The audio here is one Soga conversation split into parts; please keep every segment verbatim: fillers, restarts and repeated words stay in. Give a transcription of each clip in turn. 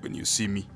When you see me.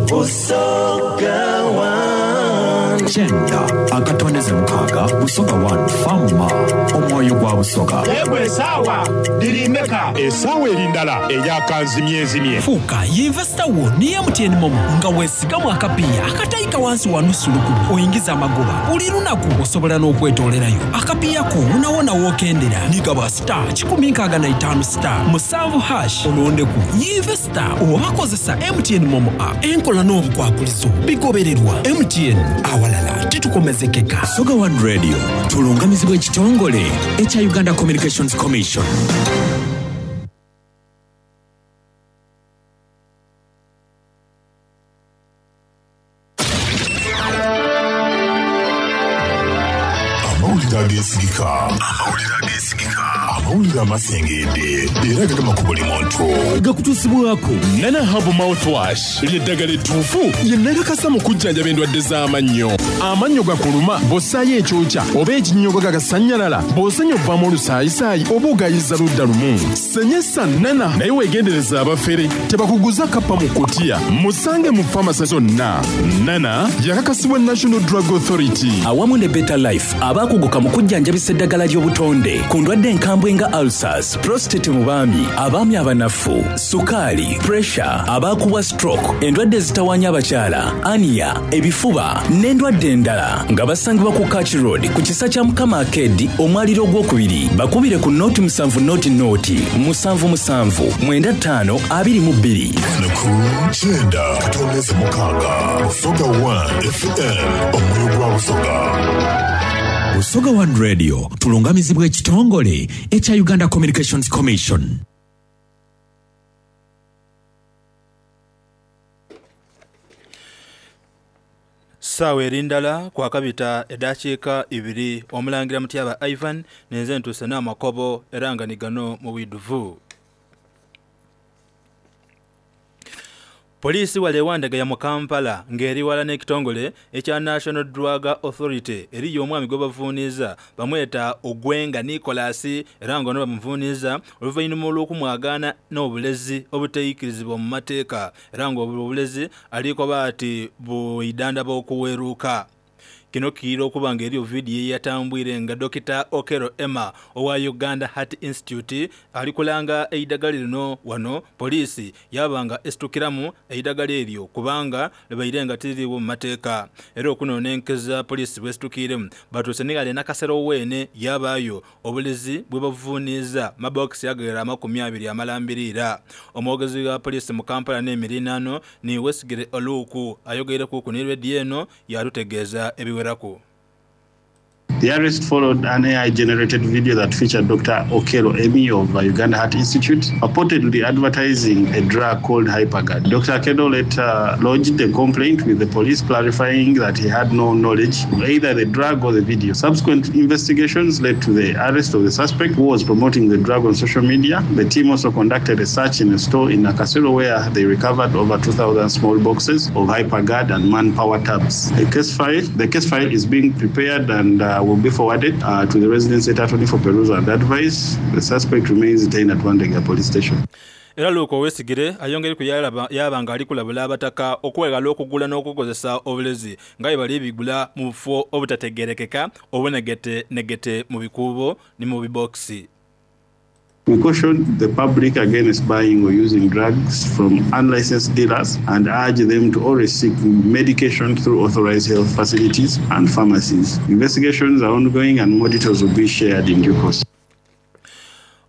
Busoga One. Kyenda akatondeze mukaaga Busoga One Fama omwoyo gwa Busoga. Yegwe esaawa liri meka? Esaawa eri ndala eyakanzimyezimye. Fuuka yinvesita wo ne M T N Momo nga weesigamu akapiiya akatayika wansi wa nusu lukumi oyingiza amagoba buli lunaku osobola n'okwetoolerayo akapiiya ko wonawona w'okendera nigaba star kikumi nkaaga na itaano star musanvu hash olondeku yinvesita oba kozesa M T N Momo app enkola n'obukwakulizo bigobererwa M T N awalala titukomezekeka. Busoga One Radio tulungamizibwa ekitongole ekya Uganda Communications Commission. Amawulire ageesigika. Amawulire ageesigika. Amawulire amasengedde era gagema ku buli muntu. Gakutuusibwako Nana Herbal Mouthwash ly'eddagala ettuufu lye nakakasa mu kujjanjaba endwadde z'amannyo. Amannyo gakuluma bw'ossaayo ekyokya oba ekinnyogo gagasannyalala bw'osenya ovaamu olusaayisaayi oba ogayiza ludda lumu. Senyesa Nana naye weegendereza abafere tebakuguza kappa mu kutiya. Musange mu famasi zonna. Nana yakakasibwa National Drug Authority. Awamu ne Better Life abaakuguka mu kujjanjabisa eddagala ly'obutonde ku ndwadde enkambwe nga ulcers, prostate mu baami, abaami abanafu, sukaali, pressure, abaakubwa stroke, endwadde ezitawaanya abakyala, ania, ebifuba n'endwadde endala nga basangibwa ku Kach Road ku kisa kya Mukama Arcade omwaliro ogwokubiri. Bakubire ku noti musanvu noti noti musanvu musanvu mwenda ttaano abiri mu bbiri. Ku kyenda katondeze mukaaga Busoga One F M omwoyo gwa Busoga. Busoga One Radio tulungamizibwa ekitongole ekya Uganda Communications Commission. Saawa eri ndala kwakabita eddakiika ibiri omulangira Mutyaba Ivan nenze ntuuse n'amakobo era nga ni gano mu bwidduvu. Poliisi wale ewandagaya mu Kampala ng'eri wala n'ekitongole ekya National Drug Authority eriyo omwami gwe bavuuniza bamweta Ogwenga Nicholas era nga ono bamuvuuniza oluvannyuma olw'okumwagaana n'obulezi obuteeyikirizibwa mu mateeka era ng'obulezi aliko baati buidanda bw'okuweruuka. Kino kiira okuba nga eriyo vidiyo eyatambwire nga Dokita Okello Emma owa Uganda Heart Institute ali kulanga eidagala lino wano poliisi yabanga esitukiramu eidagala eryo kubanga libaire nga tiririiwo mu mateeka. Era okunonenkeza poliisi bwesitukiremu batuuse nigale Nakasero weene yabaayo obulezi bwe bavuuniza mabokisi agawera amakumi abiri amalambirira. Omwogezi wa poliisi mu Kampala n'emirinaano ni Wesigire Oluuku ayogereku ku ne rediyo eno yatutegeeza ebiwera. The arrest followed an A I-generated video that featured Doctor Okello Emmy of Uganda Heart Institute, purportedly advertising a drug called Hyperguard. Doctor Okello later lodged a complaint with the police, clarifying that he had no knowledge of either the drug or the video. Subsequent investigations led to the arrest of the suspect, who was promoting the drug on social media. The team also conducted a search in a store in Nakasero where they recovered over two thousand small boxes of Hyperguard and manpower tabs. The case file, the case file is being prepared and uh, will be forwarded uh, to the resident state attorney for perusal and advice. The suspect remains detained at Wandegeya police station. Era Luuka Owesigire ayongere ku yaba nga ali kulabula abataka okwegala okugula n'okukozesa obulezi nga bwe bali bigula mu bufo obutategeerekeka obunegete negete mu bikuubo ne mu bibokisi. We caution the public against buying or using drugs from unlicensed dealers and urge them to always seek medication through authorized health facilities and pharmacies. Investigations are ongoing and more details will be shared in due course.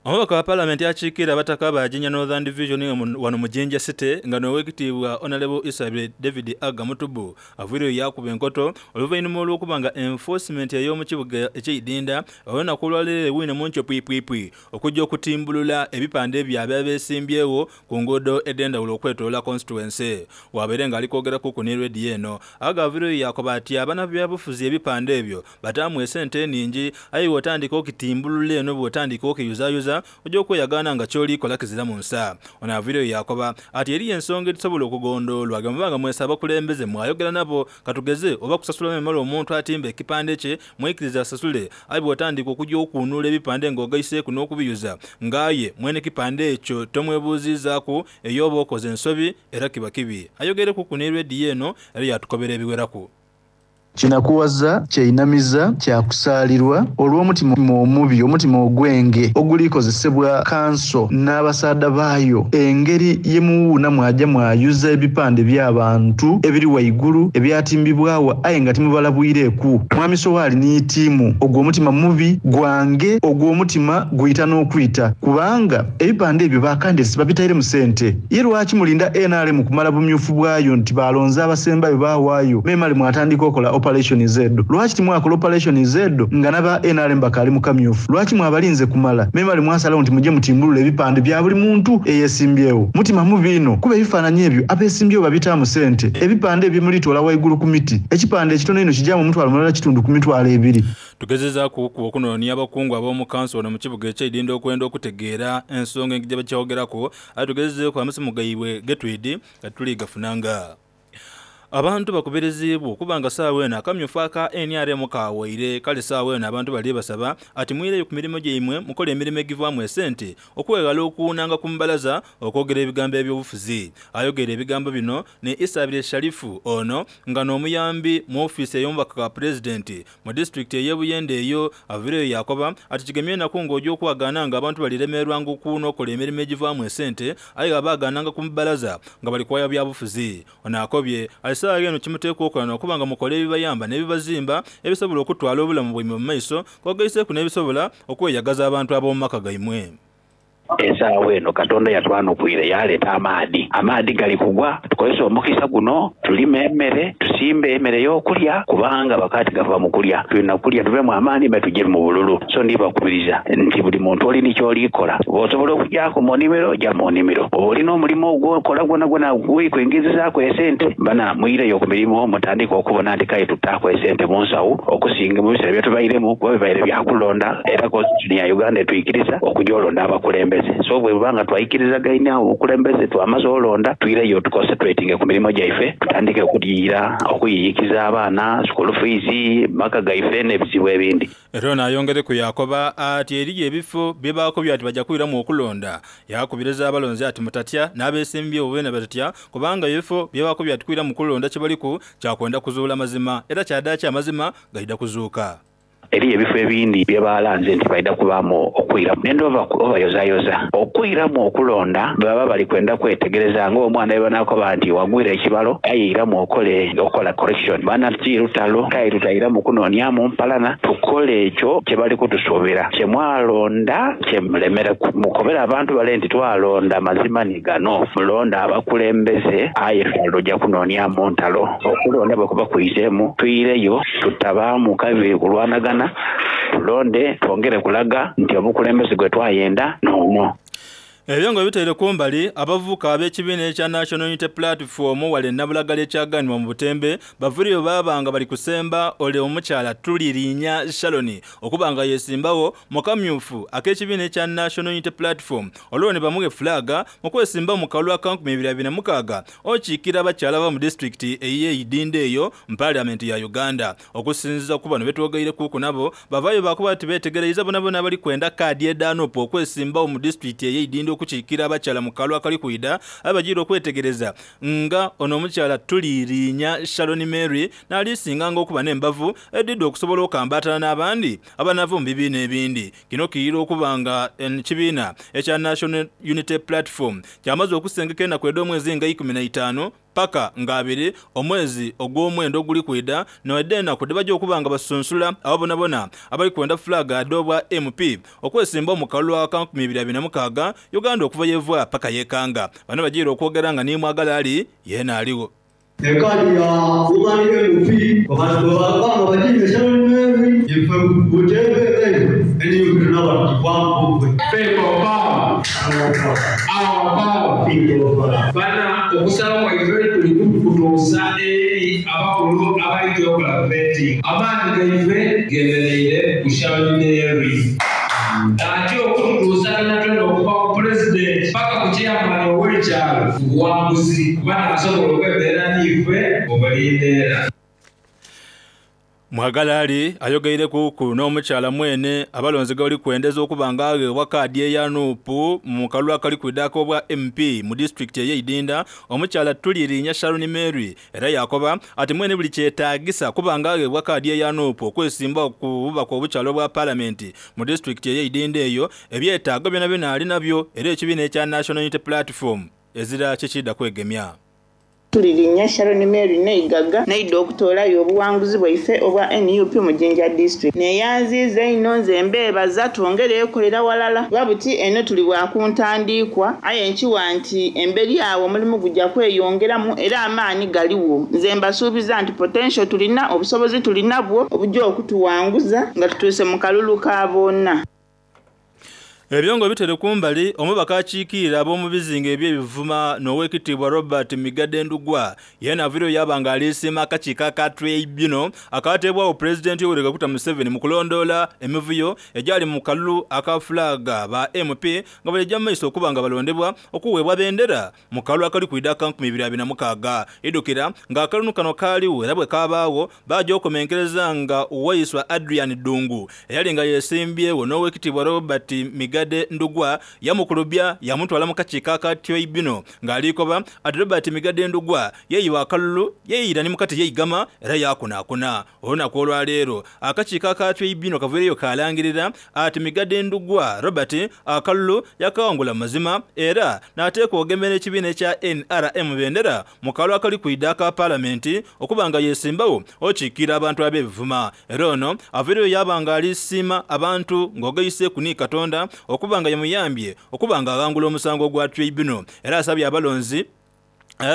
Omubaka wa Paalamenti akiikirira abataka ba Jinja Northern Division wano mu Jinja City nga n'oweekitiibwa Honorable Isabel David Aga Mutubu aviireyo yakuba enkoto oluvannyuma olw'okuba nga enforcement ey'omu kibuga eky'Idinda olunaku olwaleero ewuune mu nkyo pwipwipwi okujja okutimbulula ebipande ebyo abeesimbyewo ku nguudo ed'endawulo okwetoloola constituency. Wabeere ng'ali kwogeraku ku ne rediyo eno Aga aviireyo yakoba ati abanabyabufuzi ebipande ebyo bataamu esente nnyingi aye bw'otandika okitimbulula eno bw'otandika okiyuzayuza mbalaza ojja okweyagaana nga ky'olikola kizira mu nsa. Ono aviireyo yakoba ati eriyo ensonga ezisobola okugondoolwa nga mwesa abakulembeze mwayogera nabo katugeze oba kusasula memala omuntu atimba ekipande kye mwikiriza asasule aye bw'otandika okujja okuunula ebipande ng'ogaiseeku n'okubiyuza ng'aye mwene kipande ekyo tomwebuuzizaaku ey'oba okoze ensobi era kiba kibi. Ayogereku ku ne rediyo eno era yatukobera ebiweraku. Kinakuwaza kyeinamiza kyakusaalirwa olw'omutima omubi omutima ogwenge ogulikozesebwa kanso n'abasaadha baayo engeri ye muwuuna mwajja mwayuza ebipande by'abantu ebiri waigulu ebyatimbibwawo aye nga timubalabwireeku. Mwami Sowaali ni ttiimu ogwo omutima mubi gwange ogwo omutima guyita n'okwita kubanga ebipande ebyo bakandesi babitaire mu ssente. Ye lwaki mulinda N R M kumala bumyufu bwayo nti balonze abasembayo baawaayo memale mwatandika okola operation Z? Lwaki timwakola operation Z nga naba N R M bakali mu kamyufu? Lwaki mwabalinze kumala memale mwasalawo nti mujje mutimbulule ebipande bya buli muntu eyesimbyewo? Mutima mubi ino kuba ebifaananyi ebyo abeesimbyewo babitaamu ssente. Ebipande ebyo mulitoola waigulu ku miti, ekipande ekitono ino kijjamu omutwalo mulala kitundu ku mitwalo ebiri. Tugezezaaku okunoonya abakungu ab'omu kanso ono mu kibuga eky'Eidinda okwenda okutegeera ensonga engeri gye bakyogerako, ate tugezezeeku amasimu gaibwe getwidi nga tuligafunanga. Abantu bakubirizibwa okubanga ssaawa eno akamyufu aka N R M kawaire kale ssaawa eno abantu bali basaba ati mwireyo ku mirimu gyaimwe mukole emirimu egivaamu esente okweghala okuwunanga ku mbalaza okwogera ebigambo ebyobufuzi. Ayogera ebigambo bino ne Isabire Sharifu ono nga n'omuyambi mu ofiisi ey'omubaka wa pulezidenti mu disitulikiti ey'e Buyende eyo aviireyo yakoba ati kigemye enaku ng'ojja okwagaana nga abantu baliremerwanga okuwuna okola emirimu egivaamu esente aye abaagaananga ku mbalaza nga bali kwaya byabufuzi. Ono akobye ssaawa eno kimuteekwa okukola n'okuba nga mukole ebibayamba n'ebibazimba ebisobola okutwala obulamu bwaimwe mu maiso kwogaiseeku n'ebisobola okweyagaza abantu ab'omu maka gaimwe. Esaawa eno Katonda yatwanukwire yaleeta amaadi. Amaadi gali kugwa, tukozese omukisa guno tulime emmere, tusimbe emmere y'okulya kubanga bakati gava mu kulya. Tulina kulya tuvemu amaani me tujje mu bululu. So ndibakubiriza nti buli muntu oli nikyolikola bw'osobola okugyako mu nnimiro jja mu nnimiro, oba olina omulimu ogwokola gwona gwona gwekwengezezaako esente bana mwireyo ku mirimu mutandike okubona nti kale tutaako esente mu nsawo okusinga mu biseera byetubairemu kuba bibaire byakulonda era constitution ya Uganda etuyikiriza okujja olonda abakulembeze. So bwe bubanga twayikirizagaine obukulembeze twamaze olonda twireyo tuconcentratinge ku mirimu gyaife tutandike okuliira okuyiyikiza abaana school fees maka gaife n'ebizibu ebindi. Era ono ayongereku yakoba ati eriyo ebifo byebaakobye ati bajja kwiramu okulonda. Yakubiriza abalonzi ati mutatya n'abeesimbye obubeena batatya kubanga ebifo byebaakobye ati kwiramu kulonda kye baliku kyakwenda kuzuula mazima era kyaddaaki amazima gaida kuzuuka. Eriyo ebifo ebindi bye balanze nti baida kubaamu okwiramu nendova obayozayoza okwiramu okulonda baba bali kwenda kwetegereza ng'omwana we banakoba nti wagwira ekibalo ayeiramu okole okola correction bana ti lutalo kaye tutayiramu kunoonyamu mpalana tukole ekyo kye bali kutusuubira kye mwalonda kye mulemere mukobera abantu bale nti twalonda mazima ni gano mulonda abakulembeze aye tutalojja kunoonyamu ntalo okulonda bwe kuba kuyizeemu tuyireyo tutabaamu kabiri kulwanagana tulonde twongere kulaga nti obukulembeze gwe twayenda n'omwo. Ebyo nga bitaire kumbali abavubuka ab'ekibiina ekya National Unity Platform wale Nabulagala ekyaganibwa mu Butembe bavuriyo baabanga bali kusemba ole omukyala Tulirinya Shaloni okuba nga yesimbawo mu kamyufu ak'ekibiina ekya National Unity Platform olwo ne bamuwe flaga mu kwesimba mu kalulu aka nkumi ibiri abiri na mukaaga okiikira abakyala ba mu disitulikiti ey'eidinda eyo mu paalamenti ya Uganda. Okusinziza ku bano betwogeire kuku nabo bavaayo bakuba ati beetegereza bonabona bali kwenda kaadi edaanopo okwesimbawo mu disitulikiti ey'eidinda okukiikira abakyala mu kalulu akali kwida abagira okwetegereza nga ono omukyala Tulirinya Shaloni Mary n'alisinganga okuba n'embavu edidde okusobola okambatana n'abandi abanava mu bibiina ebindi. Kino kiyira okuba nga ekibiina ekya National Unity Platform kyamaze okusengeka ennaku ed'omwezi nga ikumi na itaano paka nga abiri omwezi ogw'omwenda oguli kwida noedde ennaku debajja okuba nga basunsula abo bonabona abali kwenda flaga adobwa M P okwesimba mu kalulu aka nkumi ibiri abiri na mukaaga Uganda okuva yevwa paka yekanga. Bano bagira okwogera nga nimwagala ali yeena aliwo. Ekadi ya Woman M P baba bagize Sharon Mary ife Butembe eni tunaba kwangu people power our power people power bana okusala kwa ife tuli kutuusa eri abakulu abali kyokola vetting amaanyi gaife gemereire ku Sharon Mary ate okutuusa buli kyalo ku buwanguzi kuba n'asobola okwemerera n'ife mu buli mbeera. Mwagalali ayogeire kuku n'omukyala mwene abalonzi gabali kwendeza okuba nga aweebwa kaadi eya N U P mu kalulu akali kwidako obwa M P mu disitulikiti ey'Eidinda, omukyala Tulirinya Sharon Mary, era yakoba ati mwene buli kyetaagisa kuba nga aweebwa kaadi eya N U P okwesimbawo ku bubaka obukyala obwa palamenti mu disitulikiti ey'Eidinda eyo, ebyetaago byonabyona ali nabyo, era ekibiina ekya National Unity Platform ezira kikidda kwegemya. Tulirinya Sharon Mary neigaga naida okutoolayo obuwanguzi bwaife obwa N U P mu Jinja District. Neyanziiza ino nze mbeebaza, twongere ekolera walala kuba buti eno tuli bwakuntandikwa, aye nkiwa nti emberi awo omulimu gujja kweyongeramu era amaani galiwo. Nze mbasuubiza nti potential tulina, obusobozi tulina bwo obujja okutuwanguza nga tutuuse mu kalulu ka bonna. Ebyongo bitere kumbali, omubaka akiikirira ab'omu bizinga eby'ebivuma n'owekitiibwa Robert Migadde Ndugwa yena aviireyo yaba nga alisiima akakiiko aka tribunal akateebwawo Pulezidenti Yoweri Kaguta Museveni mu kulondoola emivuyo egyali mu kalulu aka fulaga ba M P nga balijja mu maiso okuba nga balondebwa okuweebwa bendera mu kalulu akali kwida aka nkumi ibiri abiri na mukaaga. Idukira ng'akalulu kano kaaliwo era bwe kaabaawo bajja okumenkereza nga Waiswa Adrian Ddungu eyali nga yeesimbyewo n'owekitiibwa Robert Migadde Ndugwa yamukulubya yamutwala mu kakiiko aka tribunal ng'alikoba ati Robert Migadde Ndugwa yeeyiwa akalulu yeeyira ni mukati yeigama era yakunaakuna. Olunaku olwaleero akakiiko aka tribunal kaviireyo kalangirira ati Migadde Ndugwa Robert akalulu yakawangula mazima era n'ateekwa ogemera ekibiina ekya N R M bendera mu kalulu akali kwida aka paalamenti okuba nga yesimbawo okiikirira abantu ab'ebivuma. Era ono aviireyo yaba nga alisiima abantu ng'ogaiseeku ni Katonda okuba nga yamuyambye okuba nga aghangula omusango gwa tribunal, era asabye abalonzi.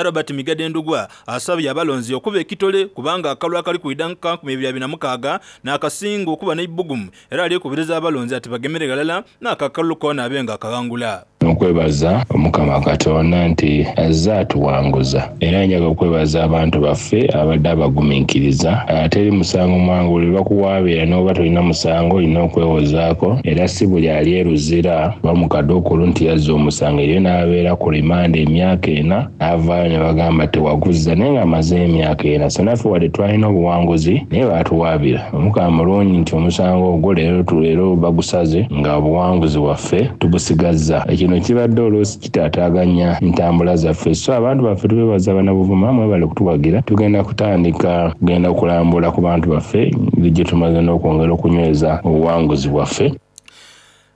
Robert Migadde Ndugwa asabye abalonzi okuba ekitole kubanga akalulu akali kwida nka nkumi ibiri abiri na mukaaga n'akasinga okuba n'ebbugumu, era alikubiriza abalonzi ati bagemere ghalala n'akakalulu koona abe nga akaghangula. Okwebaza Omukama Katonda nti azze atuwanguza, era njaga okwebaza abantu baffe abadde abagumiikiriza. Teri musango mwangu, buli lwakuwaabira n'oba tolina musango olina okwewozaako, era si buli ali eruzira bamukaduukulu nti yazza omusango, eriyo n'abeera ku rimanda emyaka ena n'avaayo ne bagamba tewaguzza naye ng'amaze emyaka ena. So naffe wadde twalina obuwanguzi naye baatuwaabira. Omukama mulungi nti omusango ogwo leero leero bagusaze nga obuwanguzi bwaffe tubusigazza. Ekino kibadde oluusi kitaataaganya entambula zaffe, so abantu baffe tubeebaza, Bannabuvuma mwebale kutuwagira. Tugenda kutandika kugenda kulambula ku bantu baffe gye tumaze n'okwongera okunyweza obuwanguzi bwaffe.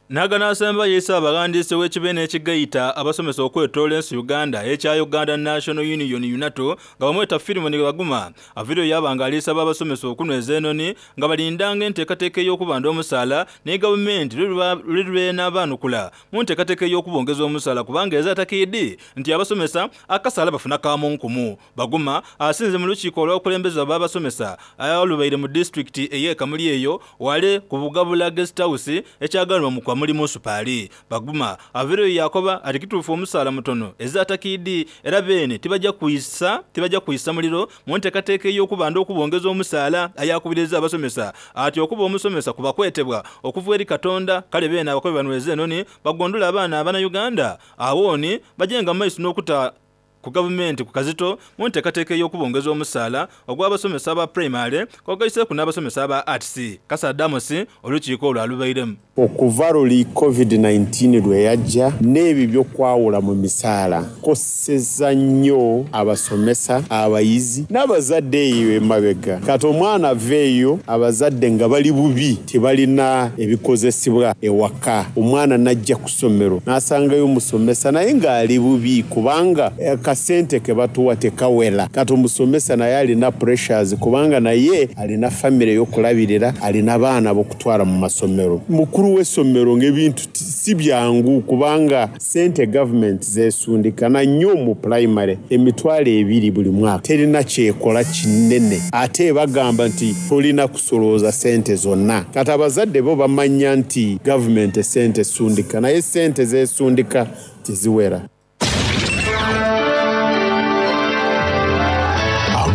Naganasemba yeisa abawandiisi w'ekibiina ekigaita abasomesa okwetoola ensi Uganda ekya Uganda National Union UNATU nga bamweta Filimoni Baguma aviireyo yaba nga alisaba abasomesa okunyweza enoni nga balindanga enteekateeka ey'okubanda omusaala ne gavumenti luli lwenaabaanukula mu nteekateeka ey'okubongeza omusaala kubanga ezatakiidi nti abasomesa akasaala bafuna kamu nkumu. Baguma asinze mu lukiiko olw'okulembeza b'abasomesa olubaire mu disitulikiti ey'e Kamuli eyo wale ku Bugabula Guest House ekyagalwa mu Kamuli Municipal. Baguma aviireyo yakoba ati kituufu omusaala mutono ezatakiidi era beene tibajja kwisa tibajja kwisa muliro mu nteekateeka ey'okubanda okubongeza omusaala. Ayakubiriza abasomesa ati okuba omusomesa kuba kwetebwa okuva eri Katonda, kale beene abakobi banyweze enoni bagondole abaana Abannayuganda awooni bajenga mu maiso n'okuta ku gavumenti ku kazito mu nteekateeka ey'okubongeza omusaala ogw'abasomesa aba primary kwogaiseeku n'abasomesa aba arts. Kasadamusi olukiiko olwo alubairemu. Okuva luli covid nineteen lwe yajja n'ebyo by'okwawula mu misaala koseza nnyo abasomesa, abayizi n'abazadde eyo emabega. Kati omwana aveeyo abazadde nga bali bubi, tebalina ebikozesebwa ewaka, omwana n'ajja ku ssomero n'asangayo omusomesa naye ng'ali bubi kubanga akasente ke batuwa tekawera. Kati omusomesa naye alina pressures kubanga naye alina famire ey'okulabirira, alina abaana b'okutwala mu masomero, mukulu w'essomero, ng'ebintu si byangu kubanga sente gavumenti zeesundikana nnyo mu pulayimale emitwalo ebiri buli mwaka terina kyekola kinene, ate bagamba nti tolina kusolooza sente zonna. Kati abazadde bo bamanya nti gavumenti sente esundika naye sente zeesundika teziwera.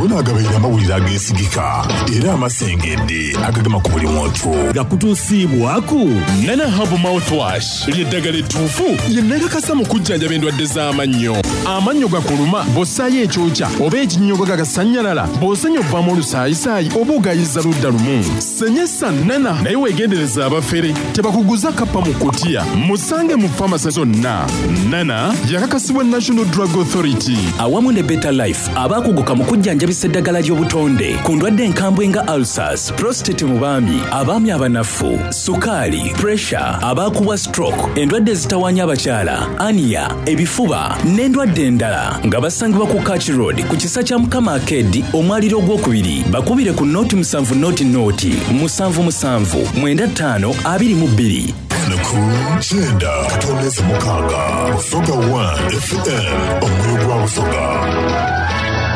Agona agabaire amawulire ageesigika era amasengedde agagema ku buli muntu. Gakutuusiibwaku Nana Herbal Mouthwash, ly'eddagala ettuufu lye nakakasa mu kujjanjaba endwadde z'amannyo. Amannyo gakuluma bw'ossaayo ekyokya oba ekinnyogo gagasannyalala, bw'osenya ovaamu olusaayisaayi oba ogayiza ludda lumu. Senyesa Nana, naye weegendereza abafere tebakuguza kappa mu kutiya. Musange mu famasi zonna. Nana yakakasibwa National Drug Authority. Awamu ne Better Life, abaakuguka mu kujjanjabisa eddagala ly'obutonde ku ndwadde enkambwe nga ulcers, prostate mu baami, abaami abanafu, sukaali, pressure, abaakubwa stroke, endwadde ezitawaanya abakyala, aniya, ebifuba n'endwadde endala, nga basangibwa ku Kach Road ku kisa kya Mukama Arcade, omwaliro ogwokubiri. Bakubire ku nooti musanvu nooti nooti musanvu musanvu mwenda ttaano abiri mu bbiri. Ku kyenda katondeze mukaaga, Busoga one F M, omwoyo gwa Busoga.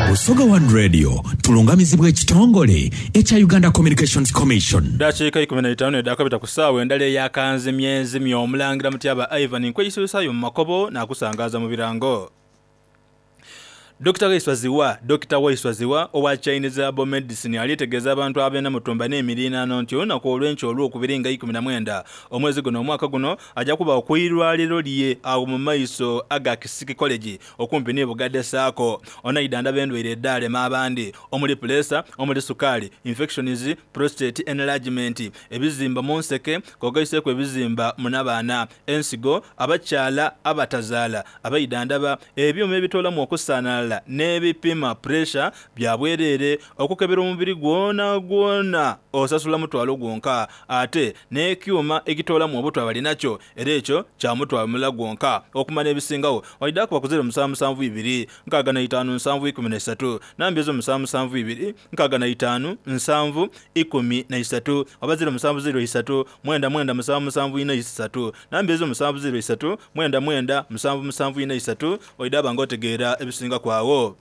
Busoga One Radio tulungamizibwa ekitongole ekya Uganda Communications Commission. Dakiika ikumi na itaano edakabita ku ssaawa endala eyakanzimyenzimye. Omulangira Mutyaba Ivan nkweyisuusaayo mu makobo n'akusangaza mu birango. Dokita Waiswaziwa, Dokita Waiswaziwa owa Chinese Herbal Medicine alitegeeza abantu abena mutumba n'emirinaano nti olunaku olw'enkya olwokubiri nga ikumi na mwenda omwezi guno omwaka guno ajja kuba okwirwaliro lye awo mu maiso aga Kisiki College okumpi ne Bugadde Saako. Onaidanda bendwaire eddaalema abandi omuli pulesa, omuli sukaali, infections, prostate enlargement, ebizimba mu nseke kogaiseeko ebizimba munabaana, ensigo, abakyala abatazaala, abaidandaba ebyuma ebitoolamu okusaanala n'ebipima pressure bya bwereere, okukebera omubiri gwona gwona osasula mutwalo gwonka, ate n'ekyuma ekitoolamu obutwa balinakyo era ekyo kya mutwalo mulala gwonka. Okumanya ebisingawo waidde kuba ku zero musanvu musanvu ibiri nkaaga na itaano nsanvu ikumi na isatu, namba ezo musanvu musanvu ibiri nkaaga na itaano nsanvu ikumi na isatu, oba zero musanvu zero isatu mwenda mwenda musanvu musanvu ina isatu, namba ezo musanvu zero isatu mwenda mwenda musanvu musanvu ina isatu, oidde aba ng'otegeera ebisinga kwawo.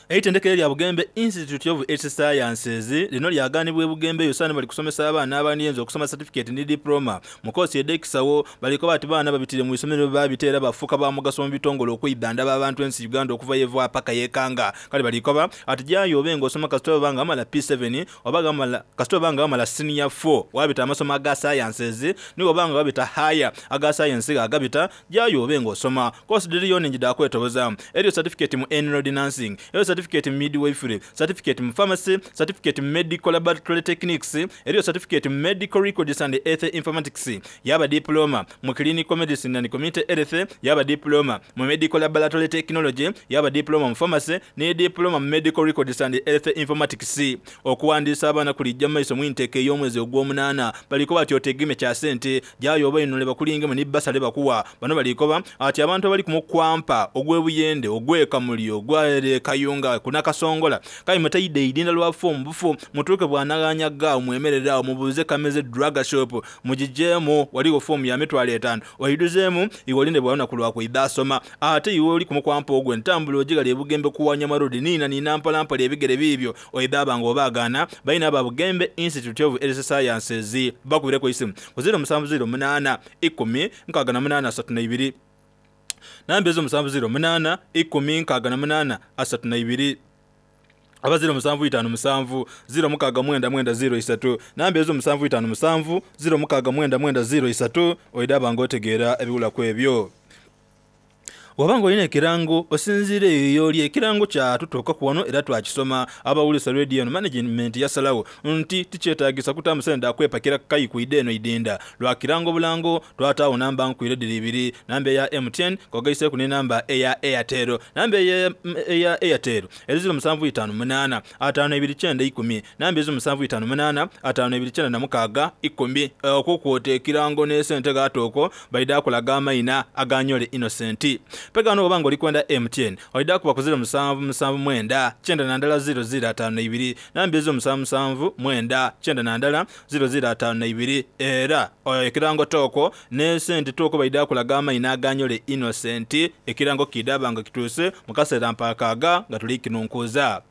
Eitendekero lya Bugembe Institute of Health Sciences lino lyaganibwa e Bugembe yosana bali kusomesa abaana abandiyenza okusoma certificate ne diploma mu kosi edekisawo. Baliko bati baana babitire mu isomero babiteera bafuuka ba mugaso mu bitongole okwidanda abantu ensi Uganda okuva yeva paka yekanga. Kale balikoba ati jayo obenga osoma kasita banga amala P seven oba gamala kasita banga amala senior four wabita amasomo aga sciences niwo banga wabita higher aga science agabita jayo obenga osoma kosi diriyo njida kwetoboza eryo certificate mu enrolled nursing, eryo certificate midwifery, certificate mu pharmacy, certificate medical laboratory techniques, eriyo certificate medical records and health informatics, yaba diploma mu clinical medicine and community health, yaba diploma mu medical laboratory technology, yaba diploma mu pharmacy ne diploma mu medical records and health informatics. Okuwandiisa abaana kulijja maiso mu intake ey'omwezi ogw'omunaana baliko bati otegeme kya ssente jayo oba ino lebakulingemu ni basale bakuwa bano balikoba ati abantu abali ku mukwampa ogw'ebuyende ogw'ekamuli ogw'ekayunga kunakasongola kale mutayidde idinda lwa fomu bufu mutuuke bwanaganya gaawo mwemerera mubuuze Kameze Drug Shop mugijeemu waliwo fomu ya mitwalo etaano oyiduzeemu iwe olinde bwalunaku lwakwidha asoma. Ate iwe oli kumukwampa ogwo entambula ogigala ebugembe kuwanyama road niina niina mpolampola ebigere biibyo oidha abanga obaagaana balina aba Bugembe Institute of Health Sciences bakubireko isimu ku zero musanvu zero munaana ikumi nkaaga na munaana asatu na ibiri, namba ezo musanvu zero munaana ikumi nkaaga na munaana asatu na ibiri, aba zero musanvu itaano musanvu zero mukaaga mwenda mwenda zero isatu, namba ezo musanvu itaano musanvu zero mukaaga mwenda mwenda zero isatu, oidde abanga otegeera ebiwulaku ebyo. Wabanga olina ekirango osinziire eyo oli ekirango kyatutuuka ku wano era twakisoma. Abawulisa radio eno management yasalawo nti tikyetaagisa kutamu sente akwepakira kayikwidde eno idinda lwa kirango bulango. Twataawo namba nkwire ddiri ibiri, namba eya M T N kogaiseeku ne namba eya Airtel. Namba eya eya Airtel eri ziro musanvu itaano munaana ataano ebiri kyenda ikumi, namba ezo musanvu itaano munaana ataano ebiri kyenda na mukaaga ikumi. Okwo kwota ekirango n'esente gaatooko baida akulaga amayina aganyole Innocent. Pegano obanga oli kwenda M T N oida kuba ku zero musanvu musanvu mwenda kyenda na ndala zero zero ataano na ibiri, namba ezo musanvu musanvu mwenda kyenda na ndala zero zero ataano na ibiri. Era ekirango tooko n'esente tooko baida akulaga amayina aganyole Innocent. Ekirango kidabanga kituuse mu kaseera mpakaaga nga tuli kinunkuza.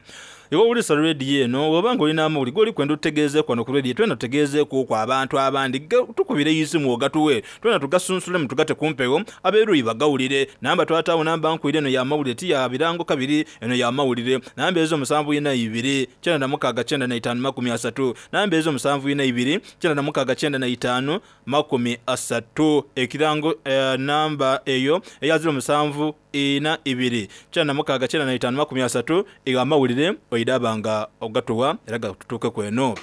Iwe owulisa rediyo eno bw'oba nga olina amawulire g'oli kwenda otutegeezeeku wano ku rediyo twena tutegeezeekuuku abantu abandi tukubire isimu ogatuwe twena tugasunsulemu tugate ku mpewo ab'eruyi bagawulire. Namba twataawo namba nkwire eno ya mawulire ti ya birango kabiri eno ya mawulire. Namba ezo musanvu ina ibiri kyenda na mukaaga kyenda na itaanu makumi asatu. Namba ezo musanvu ina ibiri kyenda na mukaaga kyenda na itaanu makumi asatu. Ekirango eh, namba eyo eya ziro musanvu ina ibiri kyenda na mukaaga kyenda na itaanu makumi asatu eyo amawulire oidaba nga ogatuwa era gatutuukeku eno.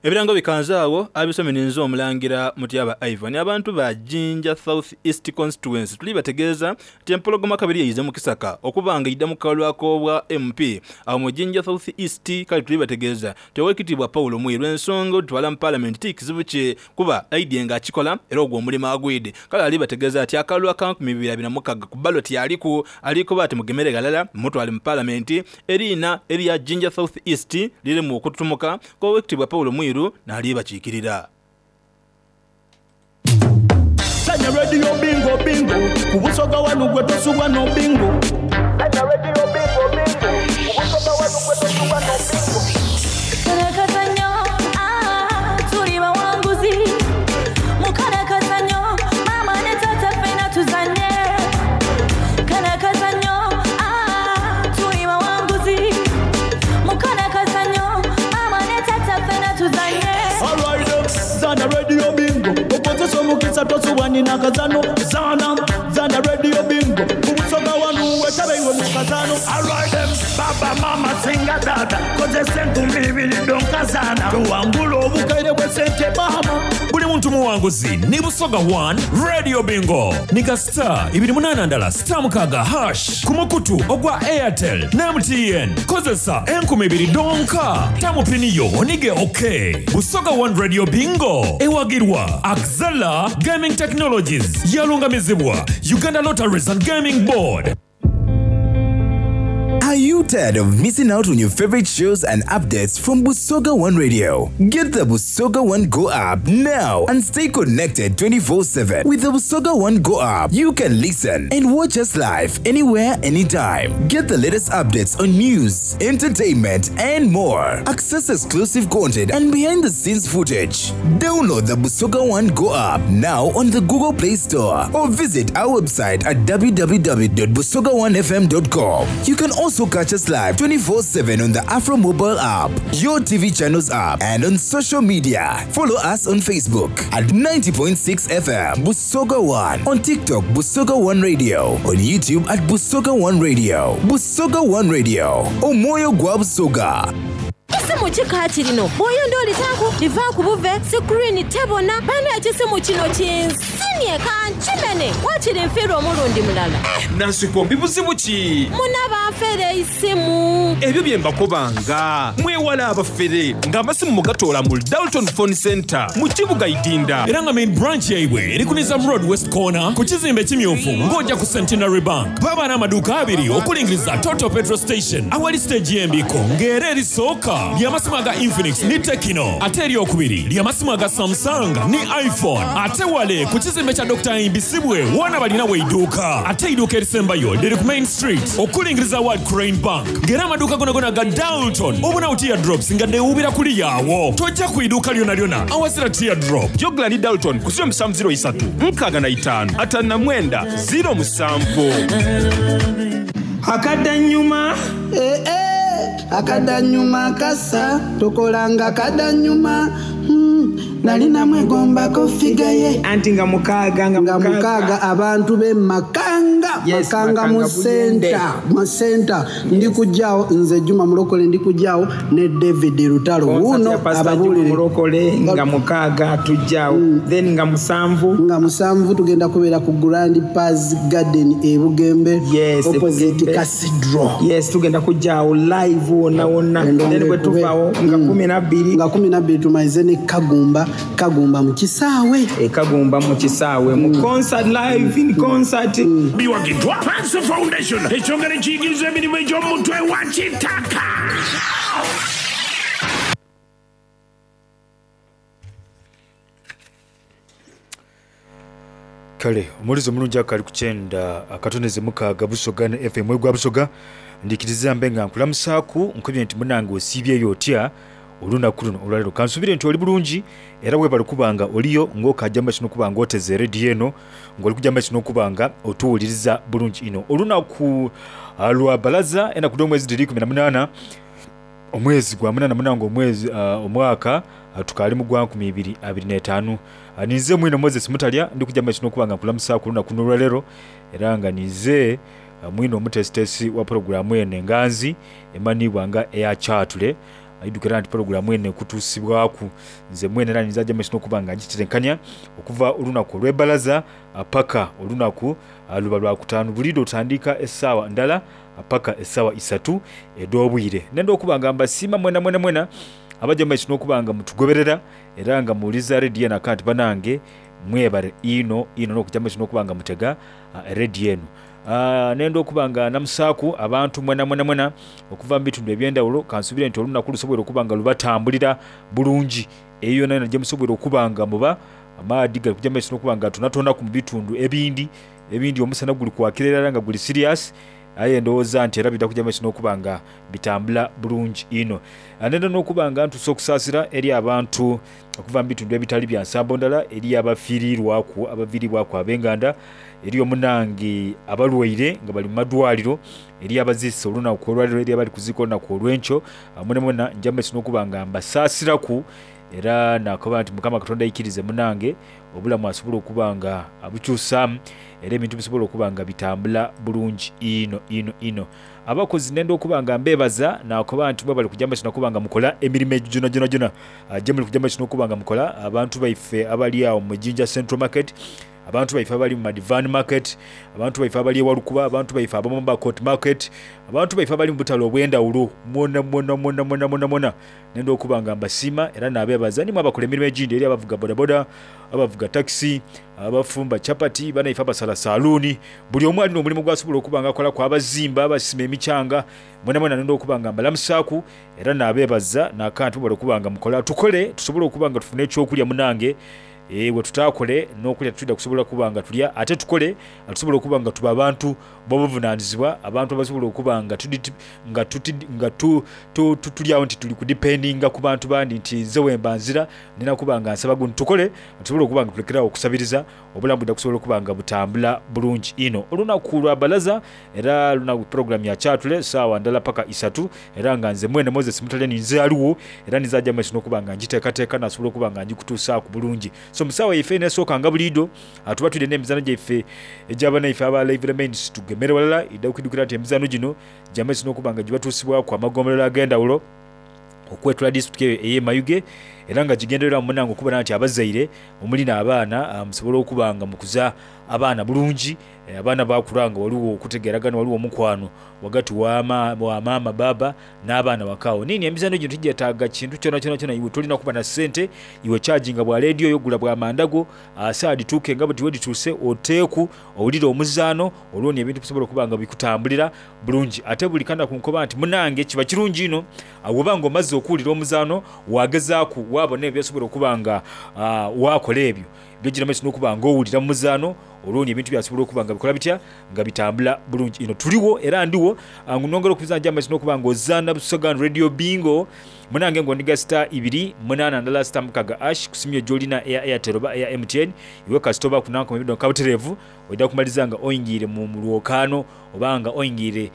Ebirango bikanze awo abisome ninze omulangira Mutyaba Ivan. Abantu ba Jinja South East Constituency tuli bategeeza nti empologoma kabiri yaize mu kisaka okuba nga idda mu kalwako obwa M P awo mu Jinja South East. Kale tuli bategeeza nti Oweekitiibwa Paulo Mwiru ensonga otutwala mu Parliament ti kizibu kye kuba aidye ng'akikola era ogwo omulimu agwide. Kale ali bategeeza ati akalwa ka nkumi bibiri abiri na mukaaga ku ballot aliku alikuba ati mugemere ghalala mutwale mu Parliament eriina erya Jinja South East lirimu okututumuka kw'Oweekitiibwa Paulo Mwiru n'ali bakiikirira. Sanya radio bingo bingo ku Busoga wanu gwe tosubwa no bingo. Sanya radio bingo bingo ku Busoga wanu gwe tosubwa no bingo. Karakazanyo, ah, tuli bawanguzi. Mukarakazanyo, mama ne tata ffena tuzanye. Karakazanyo, ah, tuli bawanguzi. Mukarakazanyo, mama ne tata ffena tuzanye. Alright, zana radio bingo. Okozesa omukisa tosubwa nina kazano. Zana, zana radio bingo. Ku Busoga wanu wetabe iwe mu kazano. Alright, baba mama singa tata. Kozesa enkumi ibiri donkazana. Tuwangula obukaire bwe sente mama. Buli muntu muwanguzi ni Busoga one Radio Bingo. Nika star ibiri munana ndala star mukaga hash ku mukutu ogwa Airtel na M T N. Kozesa enkumi ibiri donka. Tamu piniyo onige okay. Busoga one Radio Bingo. Ewagirwa Axela Gaming Technologies. Yalungamizibwa Uganda Lotteries and Gaming Board. Are you tired of missing out on your favorite shows and updates from Busoga One Radio? Get the Busoga One Go app now and stay connected twenty-four seven. With the Busoga One Go app, you can listen and watch us live anywhere, anytime. Get the latest updates on news, entertainment, and more. Access exclusive content and behind-the-scenes footage. Download the Busoga One Go app now on the Google Play Store or visit our website at w w w dot busoga one f m dot com. You can also catch us live twenty-four seven on the Afro mobile app, your T V channels app, and on social media. Follow us on Facebook at ninety point six F M Busoga One, on TikTok Busoga One Radio, on YouTube at Busoga One Radio. Busoga One Radio, Omoyo gwa Busoga. Ekisimu kikaati lino bw'oyonda olitaako liva ku buve sikuriini tebona bana ekisimu kino kinsinye kankimene waakiri nfiirwa omulundi mulala. Eh, Nansikombi buzibu ki? Muna banfere isimu. Ebyo bye mbakobanga mwewala abafere ng'amasimu mugatoola mu Dalton Phone Center mu kibuga Idinda. Era nga main branch yaibwe eri ku Nizam Road West Corner ku kizimbe ekimyufu ng'ojja ku Centenary Bank. Baba n'amaduuka abiri okulingiriza Total Petrol Station awali stage y'embiko ng'era erisooka ly'amasimu aga Infinix ni Tecno, ate eryokubiri ly'amasimu aga Samsung ni iPhone. Ate wale ku kizimbe kya Doctor Imbisibwe wona balina weidduuka. Ate eidduuka erisembayo liri ku Main Street okulingiriza World Crane Bank ng'era amaduuka gona gona ga Dalton obunawo teardrops nga deewuubira kuli yaawo. Tojja ku idduuka lyonna lyonna awazira teardrop. Jogla ni Dalton ku ziro musanvu ziro isatu nkaaga na itaano ataano na mwenda ziro musanvu. Akadanyuma. Eh, eh. Akadanyuma kasa tokolanga kadanyuma. Hmm. Nali namwegombako figa ye. Anti nga mukaaga, nga Nga mukaaga abantu b'e Makanga. Yes, Makanga mu Makanga Buyende. center, mu center. Ndi kujjaawo nze Juma Mulokole, ndi kujjaawo ne David Lutalo. Concert Wuuno ya Pastor Juma ababuulire. Mulokole nga mukaaga tujjaawo. Mm. Then nga musanvu. Nga musanvu tugenda kubeera ku Grand Paz Garden e Bugembe. Yes, e opposite Bugembe. Cathedral. Yes, tugenda kujjaawo live wonna wonna. Endongo Then bwe ekube. tuvaawo nga Mm. kumi na bbiri. Nga kumi na bbiri tumalize ne Kagumba. Kagumba mu kisaawe. E Kagumba mu kisaawe. Mu concert live in concert. Mm. Biwagiddwa Panso Foundation ekyongera ekiyigiriza emirimu egy'omutwe wa kitaka. Kale omuwulize omulungi akali ku kyenda akatondeze mukaaga Busoga ne F M egwa Busoga, ndikiriza mbe nga nkulamusaaku nkubye nti munange osiibyeyo otya olunaku luno olwaleero. Kansubire nti oli bulungi era webale kuba nga oliyo ng'okaja maiso n'okuba nga oteze rediyo eno ng'oli kuja maiso n'okuba nga otuwuliriza bulungi inho. Olunaku lwa balaza enaku dh'omwezi dhiri ikumi na munaana omwezi gwa munaana munange omwezi omwaka tukaali mu gwa nkumi ibiri abiri n'etaanu. Ninze mwine Moses Mutalya ndi kuja maiso n'okuba nga nkulamusaaku olunaku luno olwaleero era nga ninze mwine omuteesiteesi wa pulogulaamu eno enganzi emanhiibwa nga eya Kyatule. Aidhukira nti pulogulaamu eno ekutuusibwaku nze mwene era ninze aja maiso n'okuba nga ngitetenkania okuva olunaku olw'ebalaza paka olunaku luba lwakutaanu. Buliidho otandika esaawa ndala paka esaawa isatu edh'obwire. Nenda okuba nga mbasiima mwena mwena mwena abaja maiso n'okuba nga mutugoberera era nga muwuliza rediyo eno akanti banange mwebale inho inho n'okuja maiso n'okuba nga mutega rediyo eno. Nenda okuba nga namusaaku abantu mwena mwena mwena okuva mu bitundu eby'endhawulo. Kansubire nti olunaku lusoboire okuba nga lubatambulira bulungi eyo yonayona gye musoboire okuba nga muba. Amaadhi gali kuja maiso n'okuba nga gatonatonaku mu bitundu ebindi ebindi omusana guli kwakira irala nga guli siriasi, aye ndowooza nti era bidha kuja maiso n'okuba nga bitambula bulungi inho. Nenda n'okuba nga ntuusa okusaasira eri abantu okuva mu bitundu ebitali bya nsambo ndala, eri abafiirirwaku abaviiribwaku ab'enganda, eri omunange abalwaire nga bali mu madwaliro, eri abaziise olunaku olwaleero, eri abali kuziika olunaku olw'enkyo. Mwenamwena nja maiso n'okuba nga mbasaasiraku era nakoba nti Mukama Katonda aikirize munange obulamu asobole okuba nga abukyusaamu era ebintu bisobola okuba nga bitambula bulungi inho inho inho. Abakozi nenda okuba nga mbebaza nakoba nti mwebale kuja maiso nakuba nga mukola emirimo egyo gyona gyona gyona gye muli kuja maiso n'okuba nga mukola. Abantu baife abali awo mu Jinja Central Market, abantu baife abali mu Madivan Market, abantu baife abali e Walukuba, abantu baife ab'omu Mbakot Market, abantu baife abali mu butale obw'endhawulo, mwona mwona mwona mwona mwona mwona nenda okuba nga mbasiima era nabebaza. Nimwe abakola emirimo egindi, eri abavuga bodaboda, abavuga takisi, abafumba chapati, banaife abasala saluuni, buli omu alina omulimu gwasobola okuba nga akolaku, abazimba, abasima emichanga, mwena mwena nenda okuba nga mbalamusaaku era nabebaza nakantu mwebale okuba nga mukola. Tukole tusobole okuba nga tufuna ekyokulya munange. Bwe tutakole n'okulya twidha kusobola kuba nga tulya, ate tukole tusobola okuba nga tuba abantu b'obuvunanizibwa, abantu abasobola okuba nga nga nga tuli awo nti tuli kudipendinga ku bantu bandi nti nze wemba nzira nina kuba nga nsaba gundi. Tukole tusobole okuba nga tulekerawo okusabiriza, obulamu bwidha kusobola okuba nga butambula bulungi inho. Olunaku lwa balaza era lunaku pulogulaamu ya Kyatule saawa ndala paka isatu, era nga nze mwene Moses Mutalya ninze aliwo era ninze aja maiso n'okuba nga ngiteekateeka nasobola okuba nga ngikutuusaaku bulungi. So mu saawa yaife eneesooka nga buliidho tuba twidhe n'emizaano gyaife egy'abanaife aba Live Remains tugemere walala. Idha kwidhukira nti emizaano gino gya maiso n'okuba nga gibatuusibwaku amagombolola ag'endhawulo okwetula disitulikiti eyo ey'e Mayuge, era nga gigendereramu munange okubona nti abazaire omuli n'abaana musobola okuba nga mukuza abaana bulungi, abaana bakula nga waliwo okutegeragana, waliwo omukwano wagati wa maama, baaba n'abaana wakaawo. Nini emizaano gino tigyetaaga kintu kyona kyona kyona, iwe tolina kuba na sente, iwe kyaginga bwa rediyo yo, gula bwa mandago, saawa dhituuke nga buti wedhituuse oteeku owulire omuzaano, olwo ni ebintu bisobola okuba nga bikutambulira bulungi. Ate buli kanaku nkoba nti munange kiba kirungi inho bw'oba nga omaze okuwulira omuzaano wagezaaku wabona ebyo byosobola okuba nga wakola ebyo byogira maiso n'okuba nga owulira mu muzaano, olwo ni ebintu byasobola okuba nga bikola bitya nga bitambula bulungi inho. Tuliwo era ndiwo nongera okubiza nja maiso n'okuba nga ozaana Busoga Radio Bingo munange ng'oniga star ibiri munaana ndala star mukaga ash kusimyo gy'olina eya Airtel oba eya M T N, iwe kasita oba kunankoma emirundi kabutereevu oidha kumaliza nga oyingiire mu lwokaano oba nga oyingiire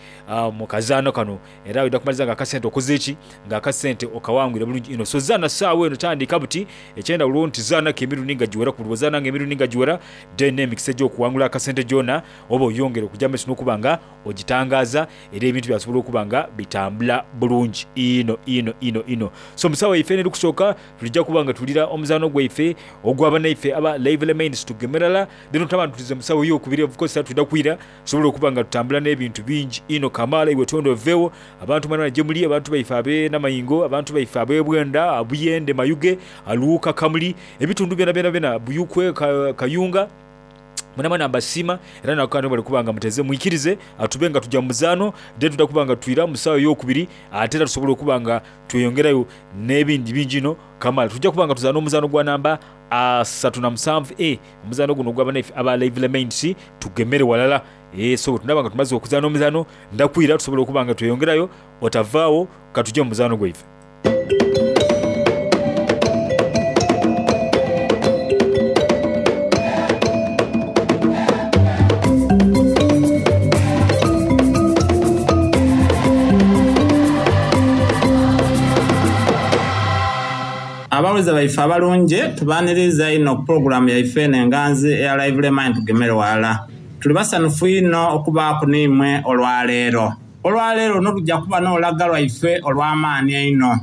mu kazaano kano, era oidha kumaliza nga akasente okoze ki nga akasente okawangwire bulungi inho. So zaana saawa eno tandika buti ekyendawulo nti zaanako emirundi nga giwera, ku buli bw'ozaana nga emirundi nga giwera then n'emikisa egy'okuwangula akasente gyona oba oyongere okuja maiso n'okuba nga ogitangaza, era ebintu byasobola okuba nga bitambula bulungi inho inho inho inho. So musawa yaife eno erikusooka tulijja kuba nga tulira omuzaano gwaife ogw'abanaife aba Live Remains tugemerala, then otaba ntulize musawo ey'okubiri of course twidha kwira tusobola okuba nga tutambula n'ebintu bingi inho kamaala. Iwe tonda oveewo abantu mwana gye muli, abantu baife ab'e Namayingo, abantu baife ab'e Bwenda, Buyende, Mayuge, Aluuka, Kamuli, ebitundu byona byona byona, Buyukwe, Kayunga, mwenamwena mbasiima era nakukana bali kuba nga muteze mwikirize atube nga tujja mu muzaano, then tudda kuba nga twira mu saawa ey'okubiri, ate era tusobola okuba nga tweyongerayo n'ebindi bingi inho kamaala. Tujja kuba nga tuzaana omuzaano gwa namba asatu na musanvu e omuzano guno ogwa banaife aba Lively Minds tugemere walala. E, so tunaba nga tumaze okuzaana omuzano ndakwira tusobola okuba nga tweyongerayo otavaawo katujje mu muzaano gwaife. Abawuliza baife abalungi tubaniriza ino puroguramu yaife eno enganzi eya Lively Mind tugemere walala. Tuli basanufu ino okubaaku n'imwe olwaleero. Olwaleero luno lujja kuba n'olulaga lwaife olw'amaani einho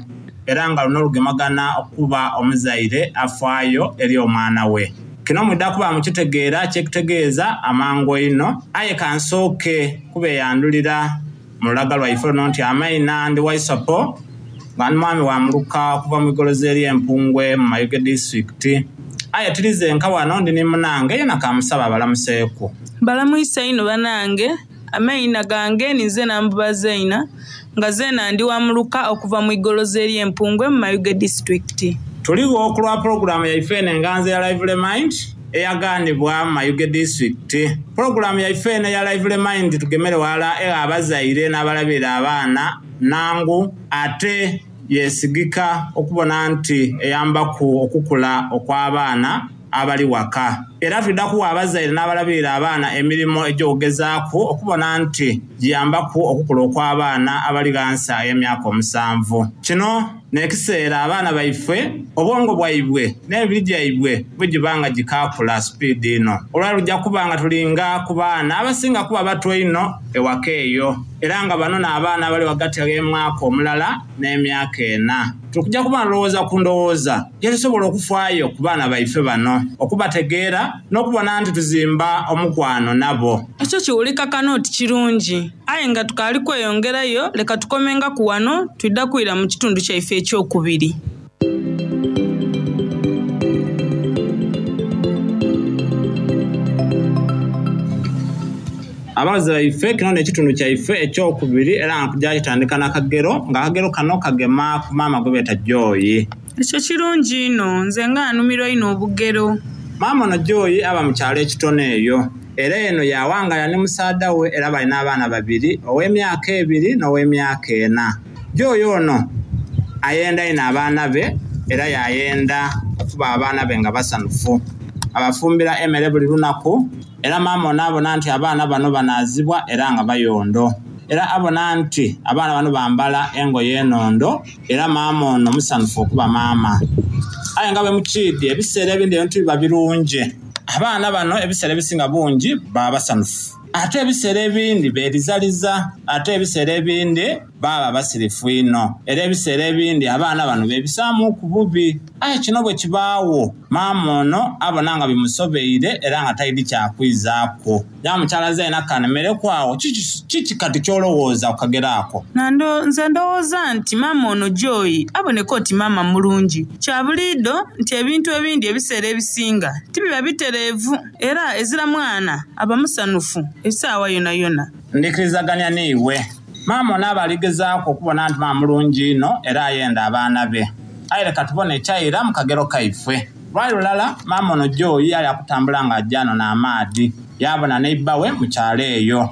era nga luno lugemagana okuba omuzaire afaayo eri omwana we. Kino mwidda kuba mukitegeera kyekutegeeza amangu einho, aye kansooke kubeeyandulira mu lulaga lwaife luno nti amaina ndi Waisopo nga ndi mwami wa muluka okuva mu igoloza ery'Empungwe mu Mayuge disitulikiti. Aye tulize nka wano ndi ni munange yena kamusaba abalamuseeku. Balamwisa ino banange, amaina gange ninze Nambuba Zaina nga zeena ndi wa muluka okuva mu igoloza ery'Empungwe mu Mayuge disitulikiti. Tuligho okulwa pulogulaamu yaife eno enganzi eya Lively Mind eyagaanibwa mu Mayuge disitulikiti. Pulogulaamu yaife eno eya Lively Mind tugemere wala egha abazaire n'abalabirira abaana nangu ate yesigika okubona nti eyambaku okukula okw'abaana abali waka. Era twidda kuwa abazaire n'abalabirira abaana emirimu egy'okugezaaku okubona nti giyambaku okukula okw'abaana abali ghansi ay'emyaka omusanvu. Kino n'ekiseera abaana baife obwongo bwaibwe n'emibiri gyaibwe bwegiba nga gikaakula sipiidi ino. Olwali lujja kuba nga tulinga ku baana abasinga kuba bato einho ewaka eyo era nga bano n'abaana abali ghagati gh'emwaka omulala n'emyaka ena. Tukujja kuba ndowooza ku ndowooza gye tusobola okufaayo ku baana baife bano okubategeera n'okubona nti tuzimba omukwano nabo. Ekyo kiwulika kano oti kirungi aye nga tukaali kweyongerayo leka tukomengaku wano twidda kwira mu kitundu kyaife ekyokubiri. Abawazi baife kino n'ekitundu kyaife ekyokubiri era nga kujja kitandika n'akagero nga akagero kano kagema ku maama gwe beeta Joy. Ekyo kirungi ino nze nga nnumirwa ino obugero. Maama ono Joy aba mu kyalo ekitono eyo era eno yawangala ne musaadha we era balina abaana babiri ow'emyaka ebiri n'ow'emyaka ena. Joy ono ayenda ino abaana be era yayenda okuba abaana be nga basanufu. Abafumbira emmere buli lunaku era maama ono abona nti abaana bano banaazibwa era nga bayondo. Era abona nti abaana bano bambala engoye enondo era maama ono musanufu okuba maama. Aye nga bwe mukiidi ebiseera ebindi ebintu biba birungi. Abaana bano ebiseera ebisinga bungi baba basanufu. Ate ebiseera ebindi beerizaliza, ate ebiseera ebindi baba basirifu ino. Era ebiseera ebindi abaana bano beebisaamu ku bubi. Aye kino bwe kibaawo maama ono abona nga bimusobeire era nga talina kyakwizaaku. Ya mukyala Zaina kanemereku awo kiki kiki kati ky'olowooza ku kagero ako? Nando nze ndowooza nti maama ono Joy aboneka oti maama mulungi. Kya buliido nti ebintu ebindi ebiseera ebisinga tibiba bitereevu era ezira mwana aba musanufu essaawa yona yona. Ndikirizaganya n'iwe. Maama ono aba aligezaaku okubona nti maama mulungi ino era ayenda abaana be. Aye leka tubone ekyaira mu kagero kaife. Lwali lulala maama ono Joy yali akutambula ng'ajja ano n'amaadhi yabona neighbor we mu kyalo eyo.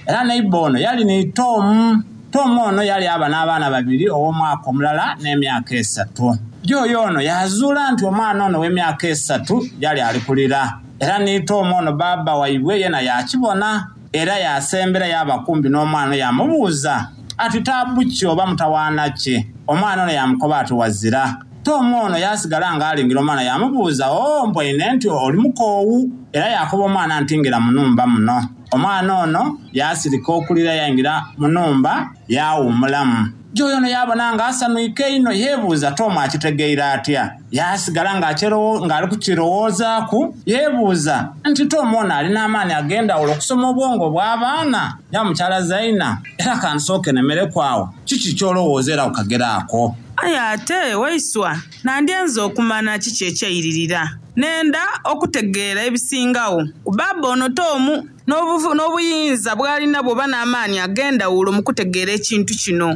Era neighbor ono yali ni Tom. Tom ono yali aba n'abaana babiri ow'omwaka omulala n'emyaka esatu. Joy ono yazuula nti omwana ono ow'emyaka esatu yali ali kulira. Era ni Tom ono baaba waibwe yena yakibona era yasembera yaba kumpi n'omwana yamubuuza ati taabu ki oba mutawaana ki? Omwana ono yamukoba ati wazira. Tom ono yasigala ng'alingira omwana yamubuuza oo mbwaine nti oli mukoowu era yakoba omwana nti ngira mu nnumba muno. Omwana ono yasirika okulira yayingira mu nnumba yawummulamu. Joy ono yabona ng'asanwike ino yeebuuza Tom akitegeire atya. Yasigala ng'akyero- ng'ali kukirowoozaaku yeebuuza nti Tom ono alina amaani ag'endawulo okusoma obwongo bw'abaana ya mukyala Zaina era kansooke nemereku awo kiki ky'olowooza era ku kagero ako? Aye ate Waiswa nandyenze okumanya kiki ekyairirira. Nenda okutegeera ebisingawo ku baaba ono Toomu n'obuvu- n'obuyinza bw'alina bw'oba n'amaanyi ag'endawulo mu kutegeera ekintu kino.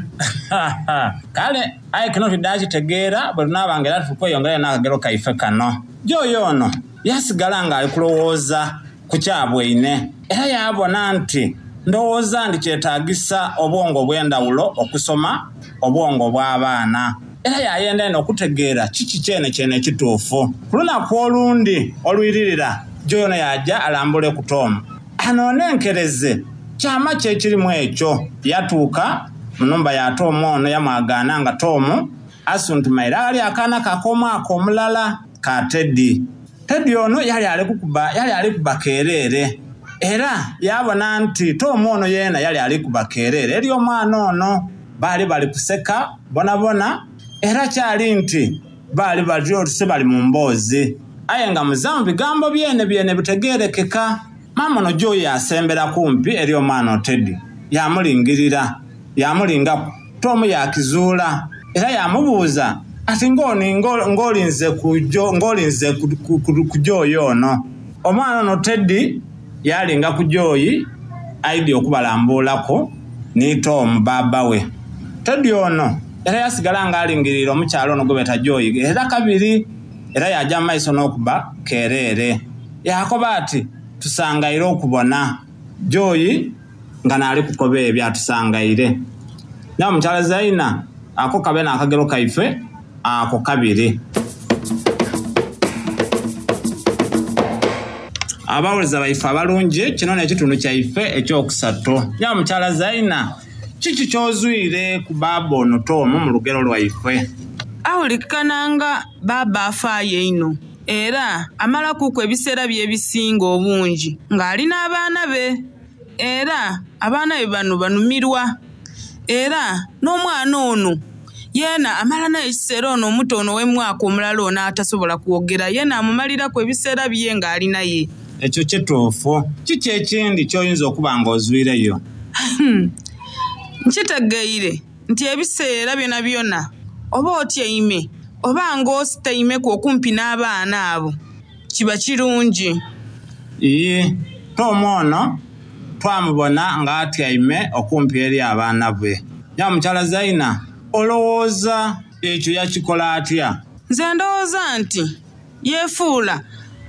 Kale aye kino tidakitegeera bwe tunaaba nga era tukweyongerayo n'akagero kaife kano. Joy ono yasigala ng'ali kulowooza ku kyabweine era yabona nti ndowooza nti kyetaagisa obwongo obw'endawulo okusoma obwongo bw'abaana era yayenda eno okutegeera kiki kyene kyene ekituufu. Ku lunaku olundi olwiririra Joy ono yajja alambule ku Toomu anoonenkereze kyama ki ekirimu ekyo. Yatuuka mu nnumba ya Toomu ono yamwagaana nga Toomu asuntumaire aghali akaana ke ak'omwaka omulala ka Teddy. Teddy ono yali ali kukuba yali ali kuba keereere era yabona nti Toomu ono yeena yali ali kuba keereere eri omwana ono baali bali kuseka bonabona era kyali nti baali bali otuse bali mu mboozi aye nga muzaamu bigambo byene byene bitegeerekeka. Maama ono Joy asembera kumpi eri omwana Teddy yamulingirira yamulingaku. Toomu yakizuula era yamubuuza ati ng'oni ng'olinze ku jo- ng'olinze ku- ku- ku- ku Joy ono. Omwana ono Teddy yalinga ku Joy aidye okubalambuulaku ni Toomu baaba we. Teddy ono era yasigala ng'alingirira omukyala ono gwe beeta Joy era kabiri era yajja mu maiso n'okuba keereere. Yakoba ati tusangaire okubona Joy nga naali kukoba ebyo atusangaire. Naye omukyala Zaina ako kabe n'akagero kaife ako kabiri. Abawuliza baife abalungi kino n'ekitundu kyaife ekyokusatu. Naye omukyala Zaina kiki ky'ozwire ku baaba ono Toomu mu lugero lwaife? Awulikikana nga baaba afaayo einho era amalakuku ebiseera bye ebisinga obungi ng'ali n'abaana be era abaana be bano banumirwa era n'omwana ono yeena amala naye ekiseera ono omuto ono ow'emwaka omulala ono atasobola kwogera yeena amumaliraku ebiseera bye ng'ali naye. Ekyo kituufu. Kiki ekindi ky'oyinza okuba ng'ozwireyo? Nkitegeire nti ebiseera byona byona oba otyaime oba ng'ositaimeku okumpi n'abaana abo kiba kirungi. Ii, Toomu ono twamubona ng'atyaime okumpi eri abaana be. Naye omukyala Zaina olowooza ekyo yakikola atya? Nze ndowooza nti yeefuula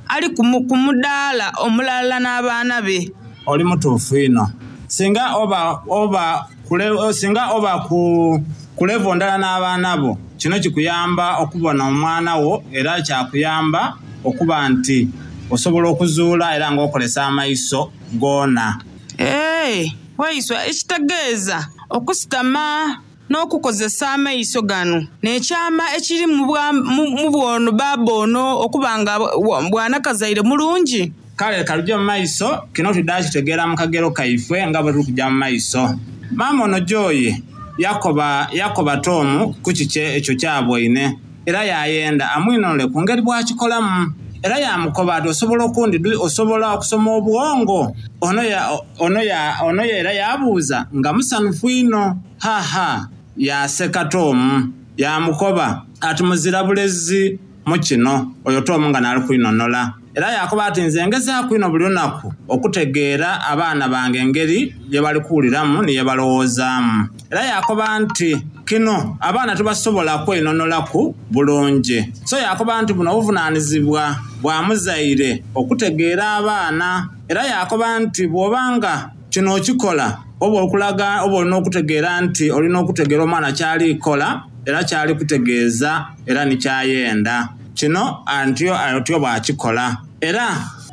ali ku mu- ku mudaala omulala n'abaana be. Oli mutuufu ino. Singa oba oba kule, singa oba ku ku levo ndala n'abaana bo kino kikuyamba okubona omwana wo era kyakuyamba okuba nti osobola okuzuula era ng'okolesa amaiso goona. Ee, waiswa ekitegeeza okusitama n'okukozesa amaiso gano n'ekyama ekiri mu bwa- mu mu bwono baaba ono okuba nga bwa- bwanakazaire mulungi. Kale kalujje mu maiso kino tudakitegeera mu kagero kaife nga bwe tuli kujja mu maiso. Maama ono Joy yakoba yakoba Toomu ku kiki ekyo kyabweine era yayenda amwinonole ku ngeri bw'akikolamu era yamukoba ati osobola okundi osobola okusoma obwongo. Ono ya ono ya ono era yabuuza nga musanufu ino haha yaseka Toomu yamukoba ati muzira bulezi mu kino oyo Toomu nga n'ali kwinonola. Era yakoba ati nze ngezaaku ino buli lunaku okutegeera abaana bange engeri gye bali kuwuliramu ni ye balowoozaamu. Era yakoba nti kino abaana tebasobola kweinonolaku bulungi. So yakoba nti buno obuvunaanyizibwa bwa muzaire okutegeera abaana. Era yakoba nti bw'obanga kino okikola oba okulaga oba olina okutegeera nti olina okutegeera omwana kyali kola era kyali kutegeeza era ni kyayenda. Kino antyo atyo bw'akikola. Era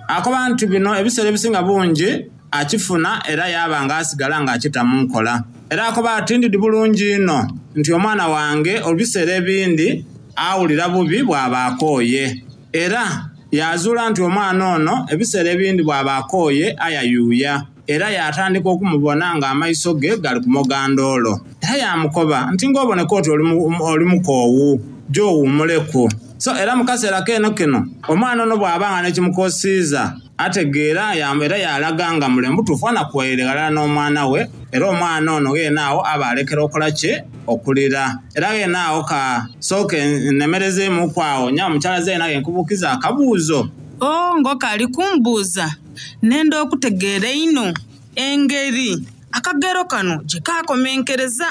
akoba nti bino ebiseera ebisinga bungi akifuna era yaba ng'asigala ng'akita mu nkola. Era akoba ati ndidi bulungi ino nti omwana wange ebiseera ebindi awulira bubi bw'aba akooye. Era yazuula nti omwana ono ebiseera ebindi bw'aba akooye ayayuuya. Era yatandika okumubona ng'amaiso ge gali kumoga ndoolo. Era yamukoba nti ng'oboneka oti oli mu- oli mukoowu gy'owuumuleku. So era mu kaseera keeno kino omwana ono bw'abanga nekimukosiiza ategeera yamba era yalaga nga mule mutuufu anakuwaire ghalala n'omwana we, era omwana ono gheena awo aba alekera okola ki? Okulira. Era gheena awo ka sooke nnemerezeemuku awo nya omukyala Zaina genkubuukiza akabuuzo. O ng'okaali kumbuuza, nenda okutegeera einho engeri akagero kano gye kakomenkereza.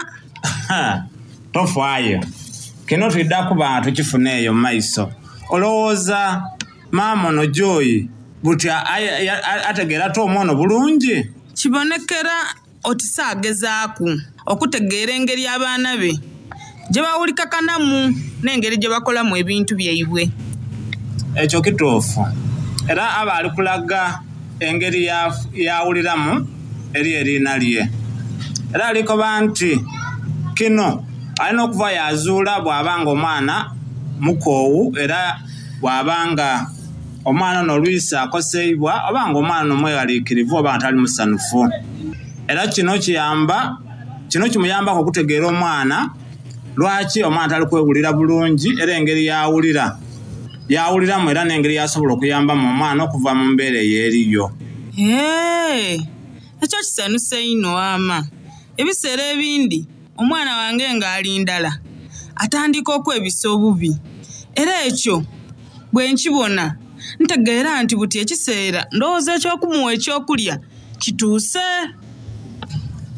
Tofaayo, kino twidda kuba nga tukifuna eyo mu maiso. Olowooza maama ono Joy buti ategeera Tom ono bulungi? Kibonekera oti saagezaaku okutegeera engeri abaana be gye bawulikakanamu n'engeri gye bakolamu ebintu byaibwe. Ekyo kituufu, era aba ali kulaga engeri yawuliramu eri eriina lye. Era alikoba nti kino alina okuva yazuula bw'abanga omwana mukoowu, era bw'abanga omwana ono olwisi akoseibwa oba nga omwana ono mweraliikirivu oba nga tali musanufu. Era kino kiyamba, kino kimuyambako okutegeera omwana lwaki omwana tali kwewulira bulungi, era engeri yawulira yawuliramu era n'engeri yasobola okuyambamu omwana okuva mu mbeera ey'eriyo. Ee, ekyo kisanuse inho ama. Ebiseera ebindi omwana wange ng'ali ndala atandika okwebisa obubi, era ekyo bwe nkibona ntegeera nti buti ekiseera ndowooza eky'okumuwa ekyokulya kituuse.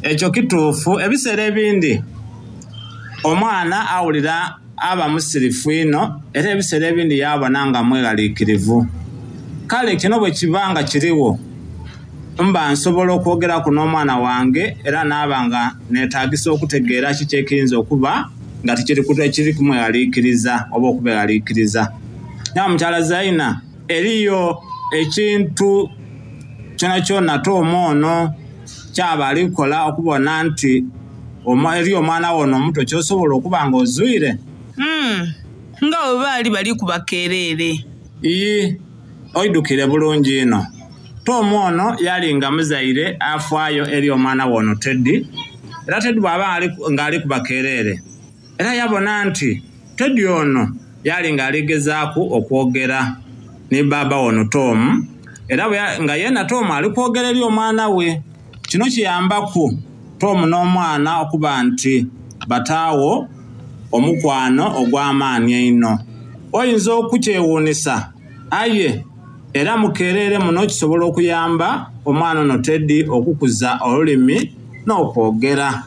Ekyo kituufu. Ebiseera ebindi omwana awulira aba musirifu ino, era ebiseera ebindi yabona nga mweraliikirivu. Kale kino bwe kiba nga kiriwo, mba nsobola okwogeraku n'omwana wange era naaba nga neetagisa okutegeera kiki ekiyinza okuba nga tikiri kumweraliikiriza oba okubeeraliikiriza. Naye mukyala Zaina, eriyo ekintu kyona kyona Tom ono kyaba alikola okubona nti eri omwana wo ono omuto kyosobola okuba nga ozwire? Mm, nga bwe baali bali kubakeereere. Iyi, oidukire bulungi ino. Tom ono yali nga muzaire afaayo eri omwana we ono Teddy, era Teddy bw'aba ng'ali kubakeereere, era yabona nti Teddy ono yali ng'aligezaaku okwogera ni baaba ono Tom, era nga yena Tom ali kwogera eri omwana we. Kino kiyambaku Tom n'omwana okuba nti bataawo omukwano ogw'amaanyi einho. Oyinza okukyewuunisa, aye era mukeerere muno kisobola okuyamba omwana ono Teddy okukuza olulimi n'okwogera.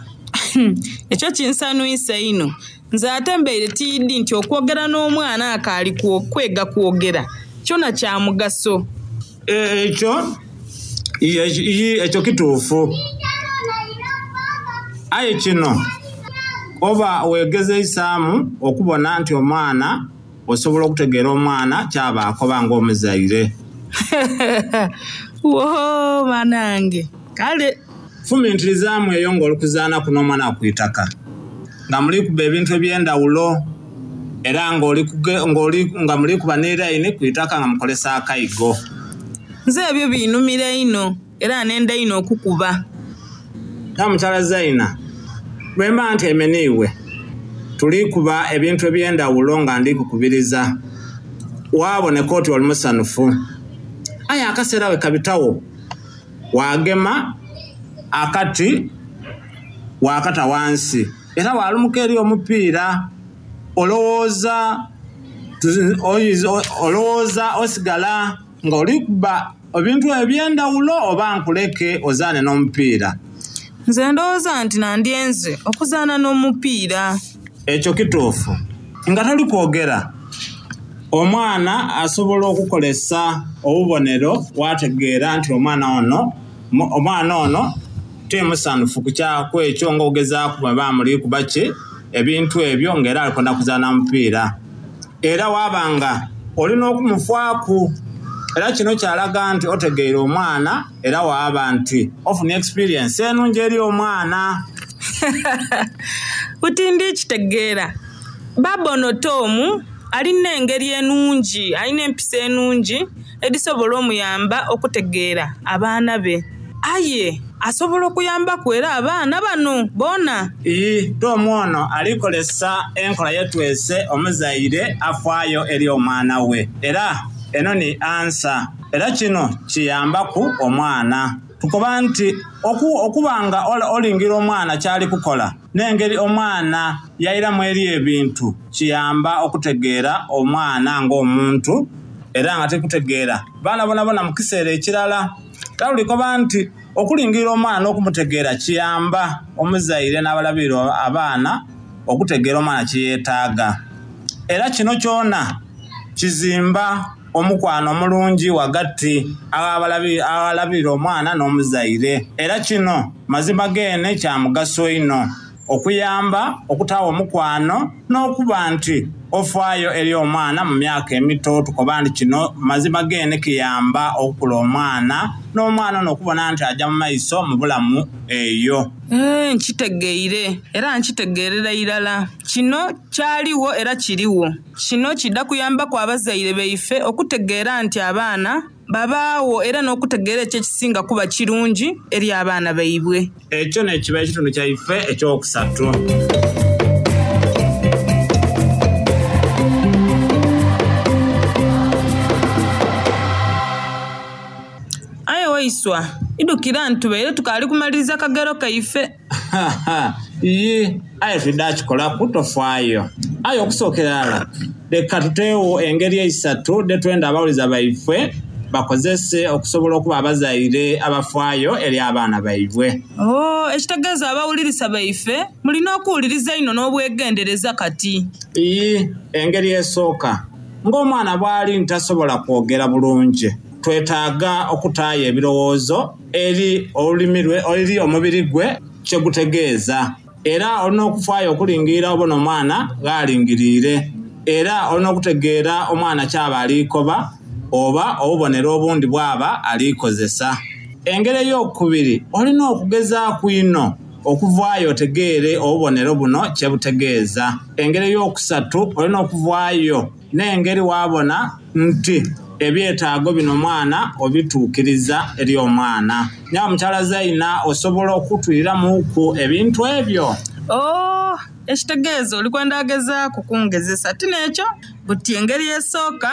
Ekyo kinsanwisa inho. Nze ate mbeire tiidi nti okwogera n'omwana akaali kwega kwogera kyona kya mugaso. Ekyo ekyo kituufu. Aye kino oba weegezeisaamu okubona nti omwana osobola okutegeera omwana kyaba akoba ng'omuzaire. Woo banange, kale fumintirizaamu eyo ng'oli kuzaanaku n'omwana ku itaka nga muli kuba ebintu eby'endawulo, era ng'oli nga muli kuba n'eraini ku itaka nga mukolesa akaigo. Nze ebyo biinumira inho era nenda inho okukuba. Na mukyala Zaina, bwe mba ntyeme niiwe tuli kuba ebintu eby'endawulo nga ndi kukubiriza, waaboneka oti oli musanufu. Aye akaseera we kabitawo wagema akati wakata wansi era walumuka eri omupiira. Olowooza olowooza osigala nga oli kuba ebintu eby'endawulo oba nkuleke ozaane n'omupiira? Nze ndowooza nti nandyenze okuzaana n'omupiira. Ekyo kituufu. Nga toli kwogera, omwana asobola okukolesa obubonero wategeera nti omwana ono omwana ono timusanufu ku kwekyo ng'ogezaaku bwe bamuli kuba ki ebintu ebyo ng'era alikwenda kuzaana mupiira. Era waabanga olina okumufaaku, era kino kyalaga nti otegeera omwana, era waaba nti ofuna experience enungi eri omwana. Buti ndi kitegeera. Baaba ono Tom alina engeri enungi, alina empisa enungi edisobola omuyamba okutegeera abaana be. Aye asobola okuyambaku era abaana bano boona. Iyi Tom ono alikolesa enkola yetwese omuzaire afaayo eri omwana we, era eno ni ansa, era kino kiyambaku omwana. Tukoba nti okubanga olingira omwana kyali kukola n'engeri omwana yairamu eri ebintu kiyamba okutegeera omwana ng'omuntu, era nga tekutegeera baana bonabona mu kiseera ekirala. Talulikoba nti okulingira omwana n'okumutegeera kiyamba omuzaire n'abalabirira abaana okutegeera omwana kyeyeetaaga, era kino kyona kizimba omukwano omulungi wagati abalabirira omwana n'omuzaire. Era kino mazima gene kya mugaso ino okuyamba okutawa omukwano n'okuba nti ofaayo eri omwana mu myaka emito. Tukoba nti kino mazima gene kiyamba okukula omwana n'omwana ono okubona nti ajja mu maiso mu bulamu eyo. Eh, nkitegeire era nkitegeerera irala. Kino kyaliwo era kiriwo. Kino kidda kuyambaku abazaire baife okutegeera nti abaana babaawo, era n'okutegeera ekyo ekisinga kuba kirungi eri abaana baibwe. Ekyo nekiba ekitundu kyaife ekyokusatu. Aye waiswa, idukira ntubeere tukaali kumaliriza kagero kaife. Iyi aye tudda kikolaku tofaayo. Aye okusookera ala leka tuteewo engeri eisatu detwenda abawuliza baife bakozese okusobola okuba abazaire abafaayo eri abaana baibwe. Oh, ekitegeeza abawulirisa baife mulina okuwuliriza ino n'obwegendereza kati. Iyi engeri esooka, ng'omwana bw'ali ntasobola kwogera bulungi, twetaaga okutaayo ebirowoozo eri olulimi lwe, eri omubiri gwe kyegutegeeza. Era olina okufaayo okulingira obona omwana gh'alingiriire, era olina okutegeera omwana kyaba alikoba oba obubonero obundi bwaba alikozesa. Engeri ey'okubiri, olina okugezaaku ino okuvaayo otegeere obubonero buno kyebutegeeza. Engeri ey'okusatu, olina okuvaayo n'engeri waabona nti ebyetaago bino omwana obituukiriza eri omwana. Nyawe mukyala Zaina, osobola okutwiriramuku ebintu ebyo? Oh, ekitegeeza oli kwenda agezaaku kungezesa. Ti n'ekyo buti engeri esooka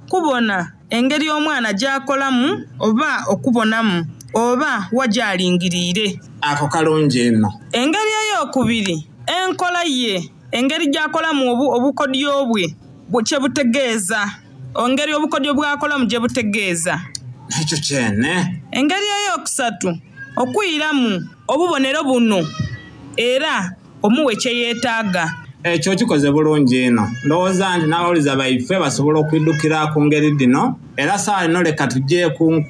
kubona engeri omwana gy'akolamu oba okubonamu oba wa gy'alingiriire. Ako kalungi ino. Engeri ey'okubiri, enkola ye, engeri gy'akolamu obukodyo bwe kyebutegeeza, engeri obukodyo bw'akolamu gye butegeeza. Ekyo kyene. Engeri ey'okusatu, okwiramu obubonero buno era omuwe kye yeetaaga. Ekyo kikoze bulungi ino. Ndowooza nti n'abawuliza baife basobola okwidukira ku ngeri dino, era saawa ino leka tujje ku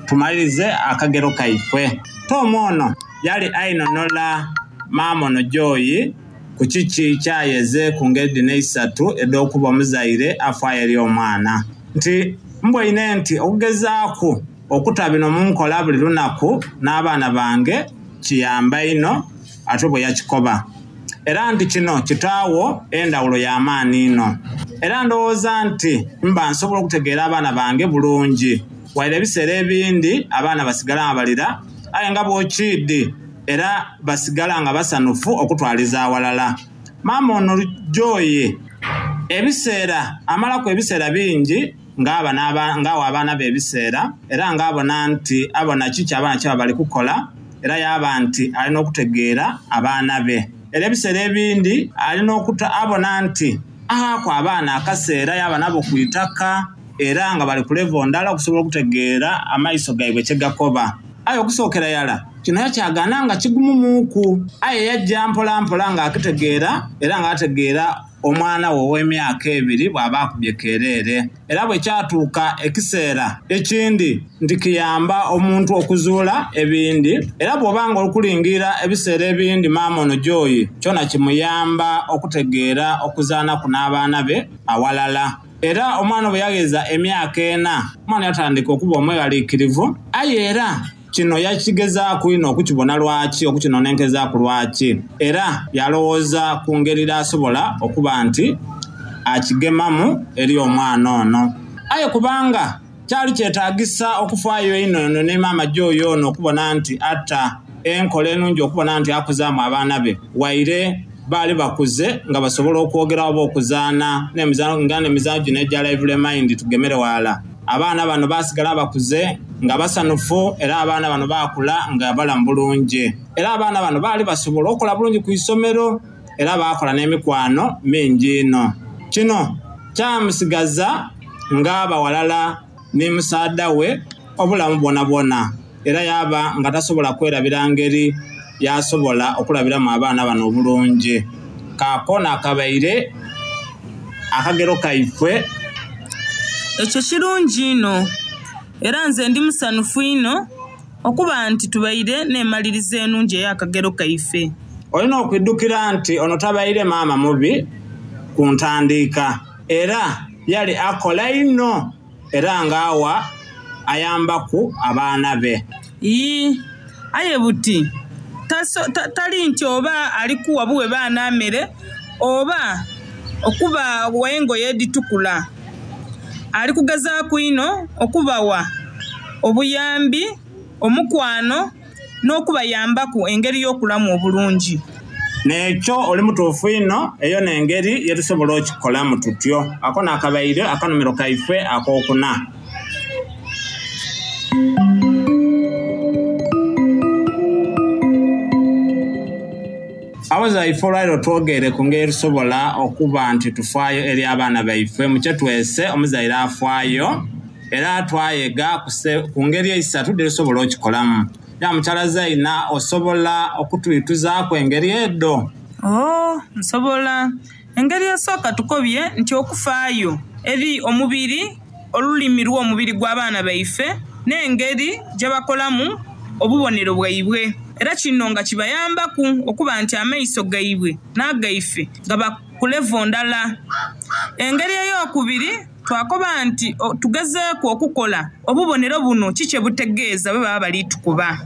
tumalirize akagero kaife. Tom ono yali ainonola maama ono Joy ku kiki kyayeze ku ngeri dino eisatu ed'okuba omuzaire afaayo eri omwana. Nti mbweine nti okugezaaku okuta bino mu nkola buli lunaku n'abaana bange kiyamba ino ate bwe yakikoba. Era nti kino kitaawo endawulo y'amaani ino. Era ndowooza nti mba nsobola okutegeera abaana bange bulungi. Waire ebiseera ebindi abaana basigala nga balira, aye nga bw'okiidi era basigala nga basanufu okutwaliza awalala. Maama ono Joy ebiseera amalaku ebiseera bingi ng'aba ng'awa abaana be ebiseera, era ng'abona nti abona kiki abaana kyaba bali kukola, era yaba nti alina okutegeera abaana be. Era ebiseera ebindi alina okuta abona nti ahaku abaana akaseera yaba nabo ku itaka, era nga bali ku level ndala okusobola okutegeera amaiso gaibwe kye gakoba. Aye okusookera yala kino yakyagaana nga kigumumuuku, aye yajja mpola mpola ng'akitegeera era ng'ategeera omwana we ow'emyaka ebiri bw'aba akubye kereere. Era bwe kyatuuka ekiseera ekindi nti kiyamba omuntu okuzuula ebindi, era bw'obanga okulingira ebiseera ebindi maama ono Joy kyona kimuyamba okutegeera okuzaanaku n'abaana be awalala. Era omwana bwe yageza emyaka ena, omwana yatandika okuba omweraliikirivu, aye era kino yakigezaaku ino okukibona lwaki, okukinonenkezaaku lwaki, era yalowooza ku ngeri d'asobola okuba nti akigemamu eri omwana ono. Aye kubanga kyali kyetaagisa okufaayo ino eno ne maama Joy ono okubona nti atta Enkola enungi okubona nti akuzaamu abaana be waire baali bakuze nga basobola okwogera oba okuzaana n'emizaano nga n'emizaano gino egya lively mind tugemere wala. Abaana bano basigala bakuze nga basanufu, era abaana bano bakula nga balamu bulungi, era abaana bano baali basobola okukola bulungi ku isomero, era bakola n'emikwano mingi ino. Kino kyamusigaza ng'abawalala ne musaada we obulamu bwona bwona, era yaba nga tasobola kwerabira ngeri yasobola okulabiramu abaana bano obulungi. Kaakona akabaire akagero kaifwe. Ekyo kirungi ino, era nze ndi musanufu ino okuba nti tubaire n'emalirizo enungi ey'akagero kaife. Olina okwiddukira nti ono tabaire maama mubi ku ntandiika, era yali akola ino era ng'awa ayambaku abaana be. Ii, aye buti taso, ta, tali nti oba alikuwa buwe baana mmere oba okuba wengoye editukula. Ali kugezaaku ino okubawa obuyambi, omukwano n'okubayambaku engeri y'okulamu obulungi. N'ekyo oli mutuufu ino, eyo n'engeri yetusobola okukikolamu tutyo. Ako n'akabaire akanumiro kaife ak'okuna. Abaza ife olwaliro twogere ku ngeri tusobola okuba nti tufaayo eri abaana baife. Mukye twese omuzaire afaayo, era twayega ku ngeri eisatu dhetusobola okikolamu. Ya mukyala Zaina, osobola okutwituzaaku engeri edo? Oh, nsobola. Engeri esooka tukobye nti okufaayo eri omubiri, olulimi lw'omubiri gw'abaana baife n'engeri gye bakolamu obubonero bwaibwe. Era kino nga kibayambaku okuba nti amaiso gaibwe n'agaife gaba ku levo ndala. Engeri ey'okubiri twakoba nti tugezeeku okukola obubonero buno kiki butegeeza bwe baba bali tukuba.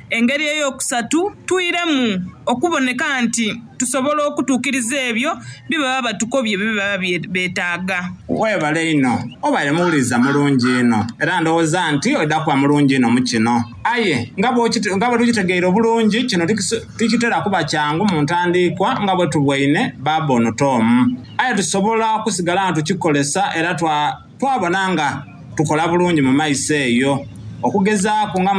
Engeri ey'okusatu twiremu okuboneka nti tusobola okutuukiriza ebyo bye baba batukobye bye baba beetaaga. Weebale ino, obaire muwuliriza mulungi ino, era ndowooza nti odda kuba mulungi ino mu kino. Aye nga bwe tukitegeire obulungi, kino tikitera kuba kyangu mu ntandiikwa nga bwe tubwaine baaba ono Tom. Aye tusobola okusigala nga tukikolesa era twabona nga tukola bulungi mu maiso eyo. Okugezaaku nga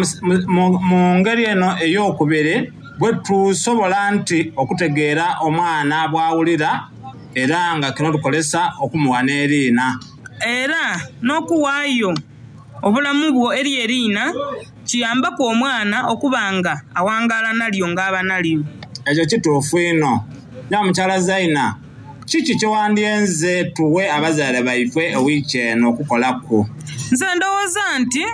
mu ngeri eno ey'okubiri bwe tusobola nti okutegeera omwana bw'awulira, era nga kino tukolesa okumuwa n'eriina. Era n'okuwaayo obulamu bwo eri eriina kiyambaku omwana okuba nga awangaala nalyo ng'aba nalyo. Ekyo kituufu ino. Ya mukyala Zaina, kiki kyewandyenze tuwe abazaire baife ewiiki eno okukolaku? Nze ndowooza nti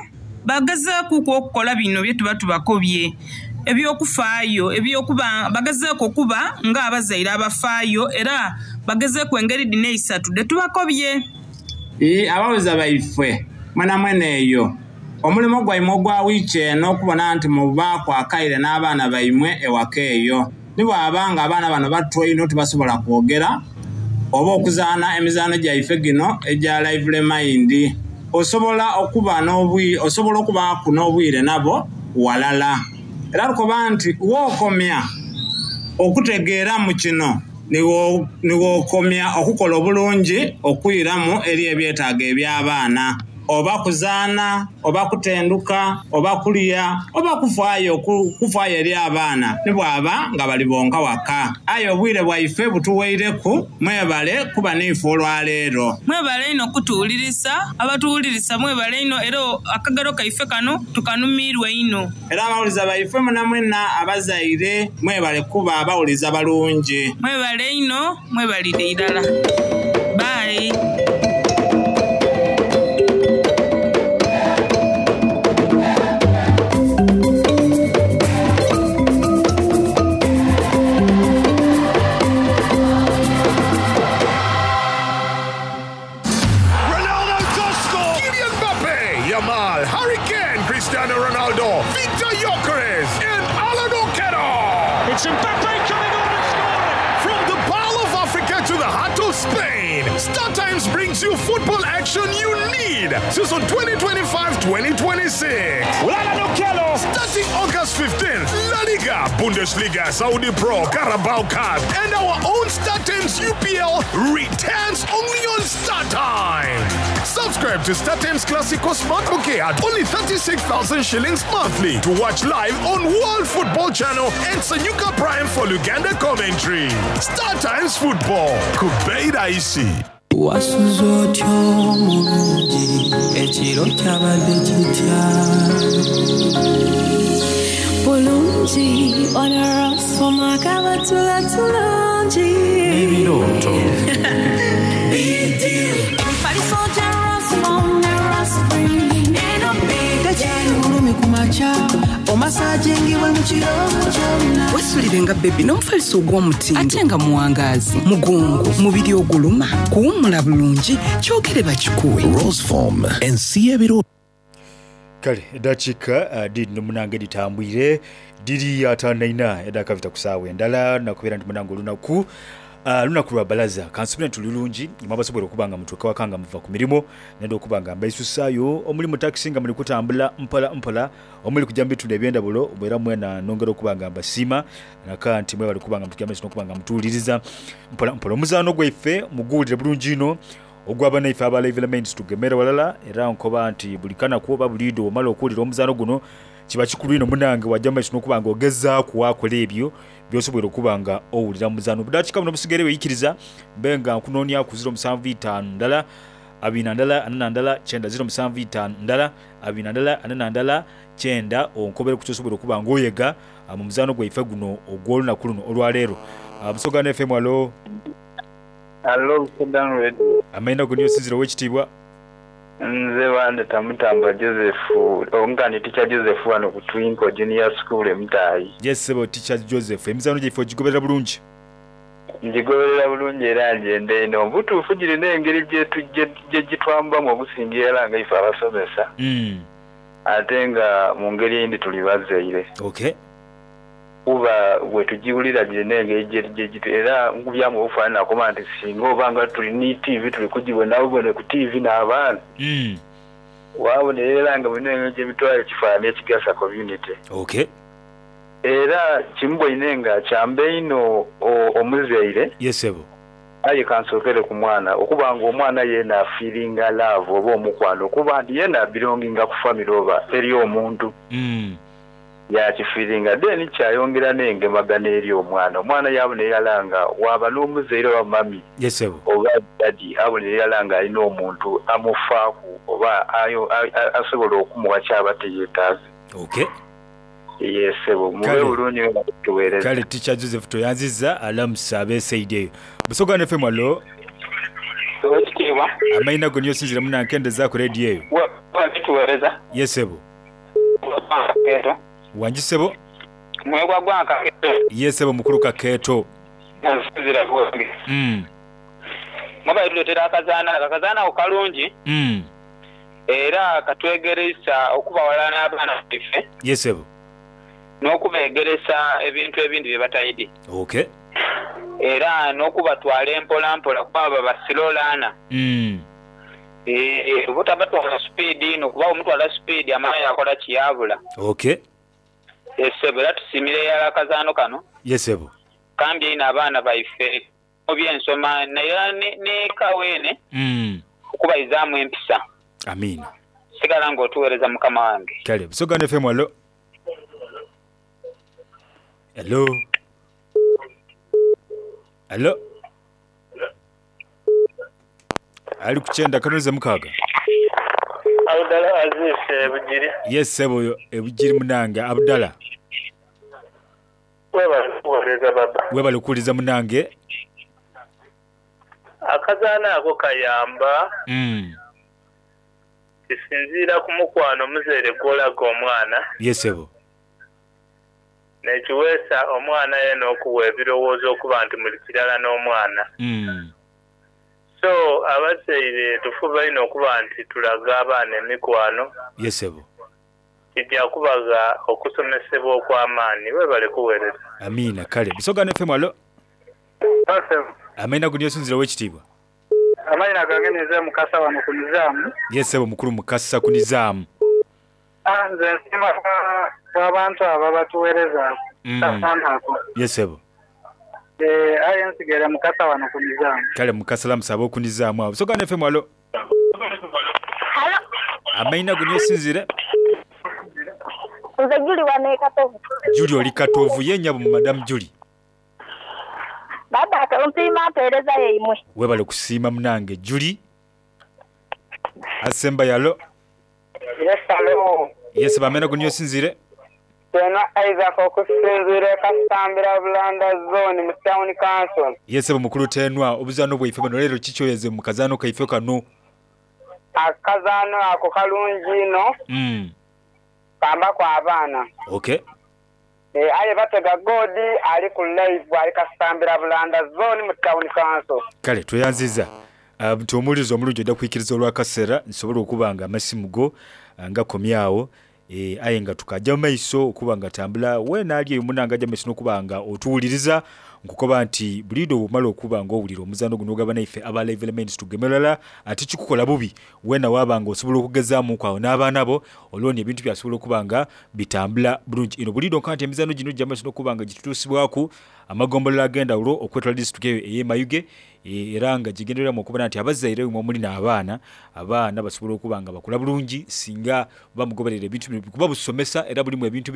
bagezeeku okukola bino bye tuba tubakobye ebyokufaayo, ebyokuba bagezeeku okuba ng'abazaire abafaayo, era bagezeeku engeri dhino eisatu dhe tubakobye. Ii, abawuliza baife mwena mwena eyo omulimu gwaimwe ogwa wiiki eno okubona nti mubaaku akaire n'abaana baimwe ewaka eyo. Ni bwaba nga abaana bano bato ino tibasobola kwogera oba okuzaana emizaano gyaife gino egya lively mind, osobola okuba n'obwi osobola okubaaku n'obwire nabo walala. Era lukoba nti wookomya okutegeera mu kino niwookomya okukola obulungi okwiramu eri ebyetaago eby'abaana, oba kuzaana, oba kutenduka, oba kulya, oba kufaayo kufaayo eri abaana ni bwaba nga bali bonka waka. Aye obwire bwaife butuweireku, mwebale kuba n'ife olwaleero. Mwebale ino kutuwulirisa, abatuwulirisa mwebale ino, era akagero kaife kano tukanumirwe ino. Era abawuliza baife mwena mwena abazaire mwebale kuba abawuliza balungi. Mwebale ino, mwebalire irala. Bye. It's Mbappe coming on and scoring! From the Pearl of Africa to the heart of Spain, Star Times brings you football action you need. Season twenty twenty-five twenty twenty-six. Starting August fifteenth, La Liga Bundesliga, Saudi Pro, Carabao Cup, and our own StarTimes U P L returns only on StarTimes. Subscribe to StarTimes Classico Smart Bouquet at only thirty-six thousand shillings monthly to watch live on World Football Channel and Sanyuka Prime for Uganda commentary. StarTimes Football. Kubeira isi. Wasuze otyo mulungi, ekiro kyabadde kitya? Bulungi, onarasoma kabatula tulungi. Ebirooto. Emifaliso gya Rasmom ne Raspring, eno big Tekyali bulumi ku makya, omasajingibwe mu kiro kyonna. Weesulire nga bebi n'omufaliso ogw'omutindo ate nga muwangaazi, mugongo, mubiri oguluma, kuwummula bulungi, kyogere bakikuwe. Roseform, ensi y'ebiro. Kale eddakiika uh, diri nomunange ditambwire diri ataano na ina edakavita ku ssaawa endala nakubeera nti munange olunaku Uh, lunaku lwa balaza kansubire nti lulungi mwabasobola okuba nga mutuuka waka nga muva ku mirimu nenda okuba nga mbaisussaayo omuli mu takisi nga muli kutambula mpola mpola omuli kujja mu bitundu eby'endawulo era mwena nongera okuba nga mbasiima naka nti mwebale okuba nga mutuukira maiso n'okuba nga mutuwuliriza mpola mpola. Omuzaano gwaife muguwulire bulungi ino ogw'abanaife aba Live Elements tugemere walala era nkoba nti buli kanaku oba buli iddo omala okuwulira omuzaano guno kiba kikulu ino munange wajja mu maiso n'okuba nga ogezaaku wakola ebyo by'osobola okuba nga owulira mu muzaano. Obudakiika buno busigere weeyikiriza mbe nga nkunoonya ku ziro musanvu itaano ndala abiri na ndala ana na ndala kyenda ziro musanvu itaano ndala abiri na ndala ana na ndala kyenda onkobere ku ky'osobola okuba nga oyega mu muzaano gwaife guno ogw'olunaku luno olwaleero. Busoga F M, alo. Alo, Busoga Radio. Amaina go niyo sinzira ow'ekitiibwa. Nze bandeta Mutamba Joseph, ongani Teacher Joseph wano ku Twinkle Junior School e Mutayi. Yes, sebo Teacher Joseph, emizaano gyaife ogigoberera bulungi? Ngigoberera bulungi era ngende eno. Obutuufu girina engeri gye gitwambamu okusingira era nga ife abasomesa. Mm. Ate nga mu ngeri eyindi tuli bazaire. Okay. Kuba bwe tugiwulira girina engeri gye gye era nkubyamu obufaanana kuba nti singa oba nga tuli ne T V tuli kugibona bubone ku T V n'abaana. Mm. Waabonera era nga bulina engeri gye bitwala ekifaananyi ekigasa community. Okay. Era kimu bwoine nga kyambe ino omuzaire. Yes, sebo. Aye kansookere ku mwana okuba nga omwana yeena afiiringa love oba omukwano okuba nti yeena abironginga ku family oba eri omuntu. Mm. Yakifiiringa then kyayongera n'engemagana eri omwana. Omwana yabonera irala nga waba n'omuzaire oba mami. Yes, sebo. Oba daddy abonera irala nga alina omuntu amufaaku oba ayo asobola okumuwa kyaba teyeetaaze. Okay. Yes, sebo. Mube bulungi nga tuweereza. Kale Teacher Joseph toyanziza alamusa abeesaidi eyo. Busoga F M, alo. Owekitiibwa. Amaina go niyo sinzira munankendeza ku radio eyo. Wa bituweereza. Yes, sebo. Wangi sebo. Mwegwa gwa Kakeeto. Yes, sebo mukulu Kakeeto. Nsinzira bwange. Mm. Mwaba tuletera akazaana, akazaana ako kalungi. Mm. Era katwegeresa okubawala n'abaana baffe. Yes, sebo. N'okubeegeresa ebintu ebindi bye batayidi. Okay. Era n'okubatwala empola mpola kuba basiroolaana. Mm. Eh, obutabatwala sipiidi n'okuba omutwala sipiidi amala yakola kiyabula. Okay. Esebo era tusimire yala akazaano kano. Yes, sebo. Kambye ino abaana baife mu by'ensoma naye ne, ne kaweene. Mm. Okubayizaamu empisa. Amina. Sigala ng'otuweereza mukama wange. Kale, Busoga F M, alo. Hello. Hello. Ali kuchenda kanoze mukaga. Abdala Aziz Ebugiri. Yes, sebo Ebugiri munange Abdala. Webale kuwuliriza baba. Webale kuwuliriza munange. Akazaana ako kayamba. Mm. Kisinziira ku mukwano muzeere gw'olaga omwana. Yes, sebo. Nekiweesa omwana ye n'okuwa ebirowoozo okuba nti muli kirala n'omwana. Mm. So abazaire tufuba ino okuba nti tulaga abaana emikwano. Yes, sebo. Kijja kubaga okusomesebwa okw'amaanyi. Webale kuweereza. Amina. Kale Busoga F M, alo. Amaina go niyo sinzira ow'ekitiibwa. Amaina gange nze Mukasa wano ku Nizaamu. Yes, sebo mukulu Mukasa ku Nizaamu. Ah, nze nsiima abantu abo abatuweereza. Mm. Kasaana ako. Yesebo. Eh, aye nsigere mukasa wano ku mizaamu. Kale mukasala musaba okunizaamu awo. Busoga F M alo. Amaina go niosinzire. Nze Juli wano e Katovu. Juli oli Katovu ye nyabo Madam Juli. Baba mpiima mpeereza yaimwe. Webale kusiima munange Juli. Asemba yalo. Yes, hello. Yes, bamena go niosinzire. Tena Isaac okusinziira e Kasambira Bulanda zone mu town council. Yes, mukulu Tenwa obuzano bwaife bano leero kikyoyeze mu kazaano kaife kano. Akazaano ako kalungi ino. Mm. Kamba kwa abaana. Okay. E, aye batega godi ali ku live ali Kasambira Bulanda zone mu town council. Kale tweyanziza. Uh, nti omuwuliriza omulungi ojja kwikiriza olw'akaseera nsobola okuba nga amasimu go nga komyawo e, aye nga tukajja mu maiso okuba nga tambula weena ali eyo munange ajja mu maiso n'okuba nga otuwuliriza nkukoba nti buliido bw'omala okuba nga owulira omuzaano guno ogaba naife aba Live Elements tugemerala ate kikukola bubi weena waaba nga osobola okugezaamuku awo n'abaana bo olwoni ebintu byasobola okuba nga bitambula bulungi ino buliido nka nti emizaano gino gijja mu maiso n'okuba nga gitutuusibwaku amagombolola ag'endawulo okwetoola disitulikiti eyo ey'e Mayuge e, era nga gigendereramu okubona nti abazaire mwe muli n'abaana abaana basobola okuba nga bakula bulungi singa bamugoberera ebintu bino kuba busomesa era bulimu ebintu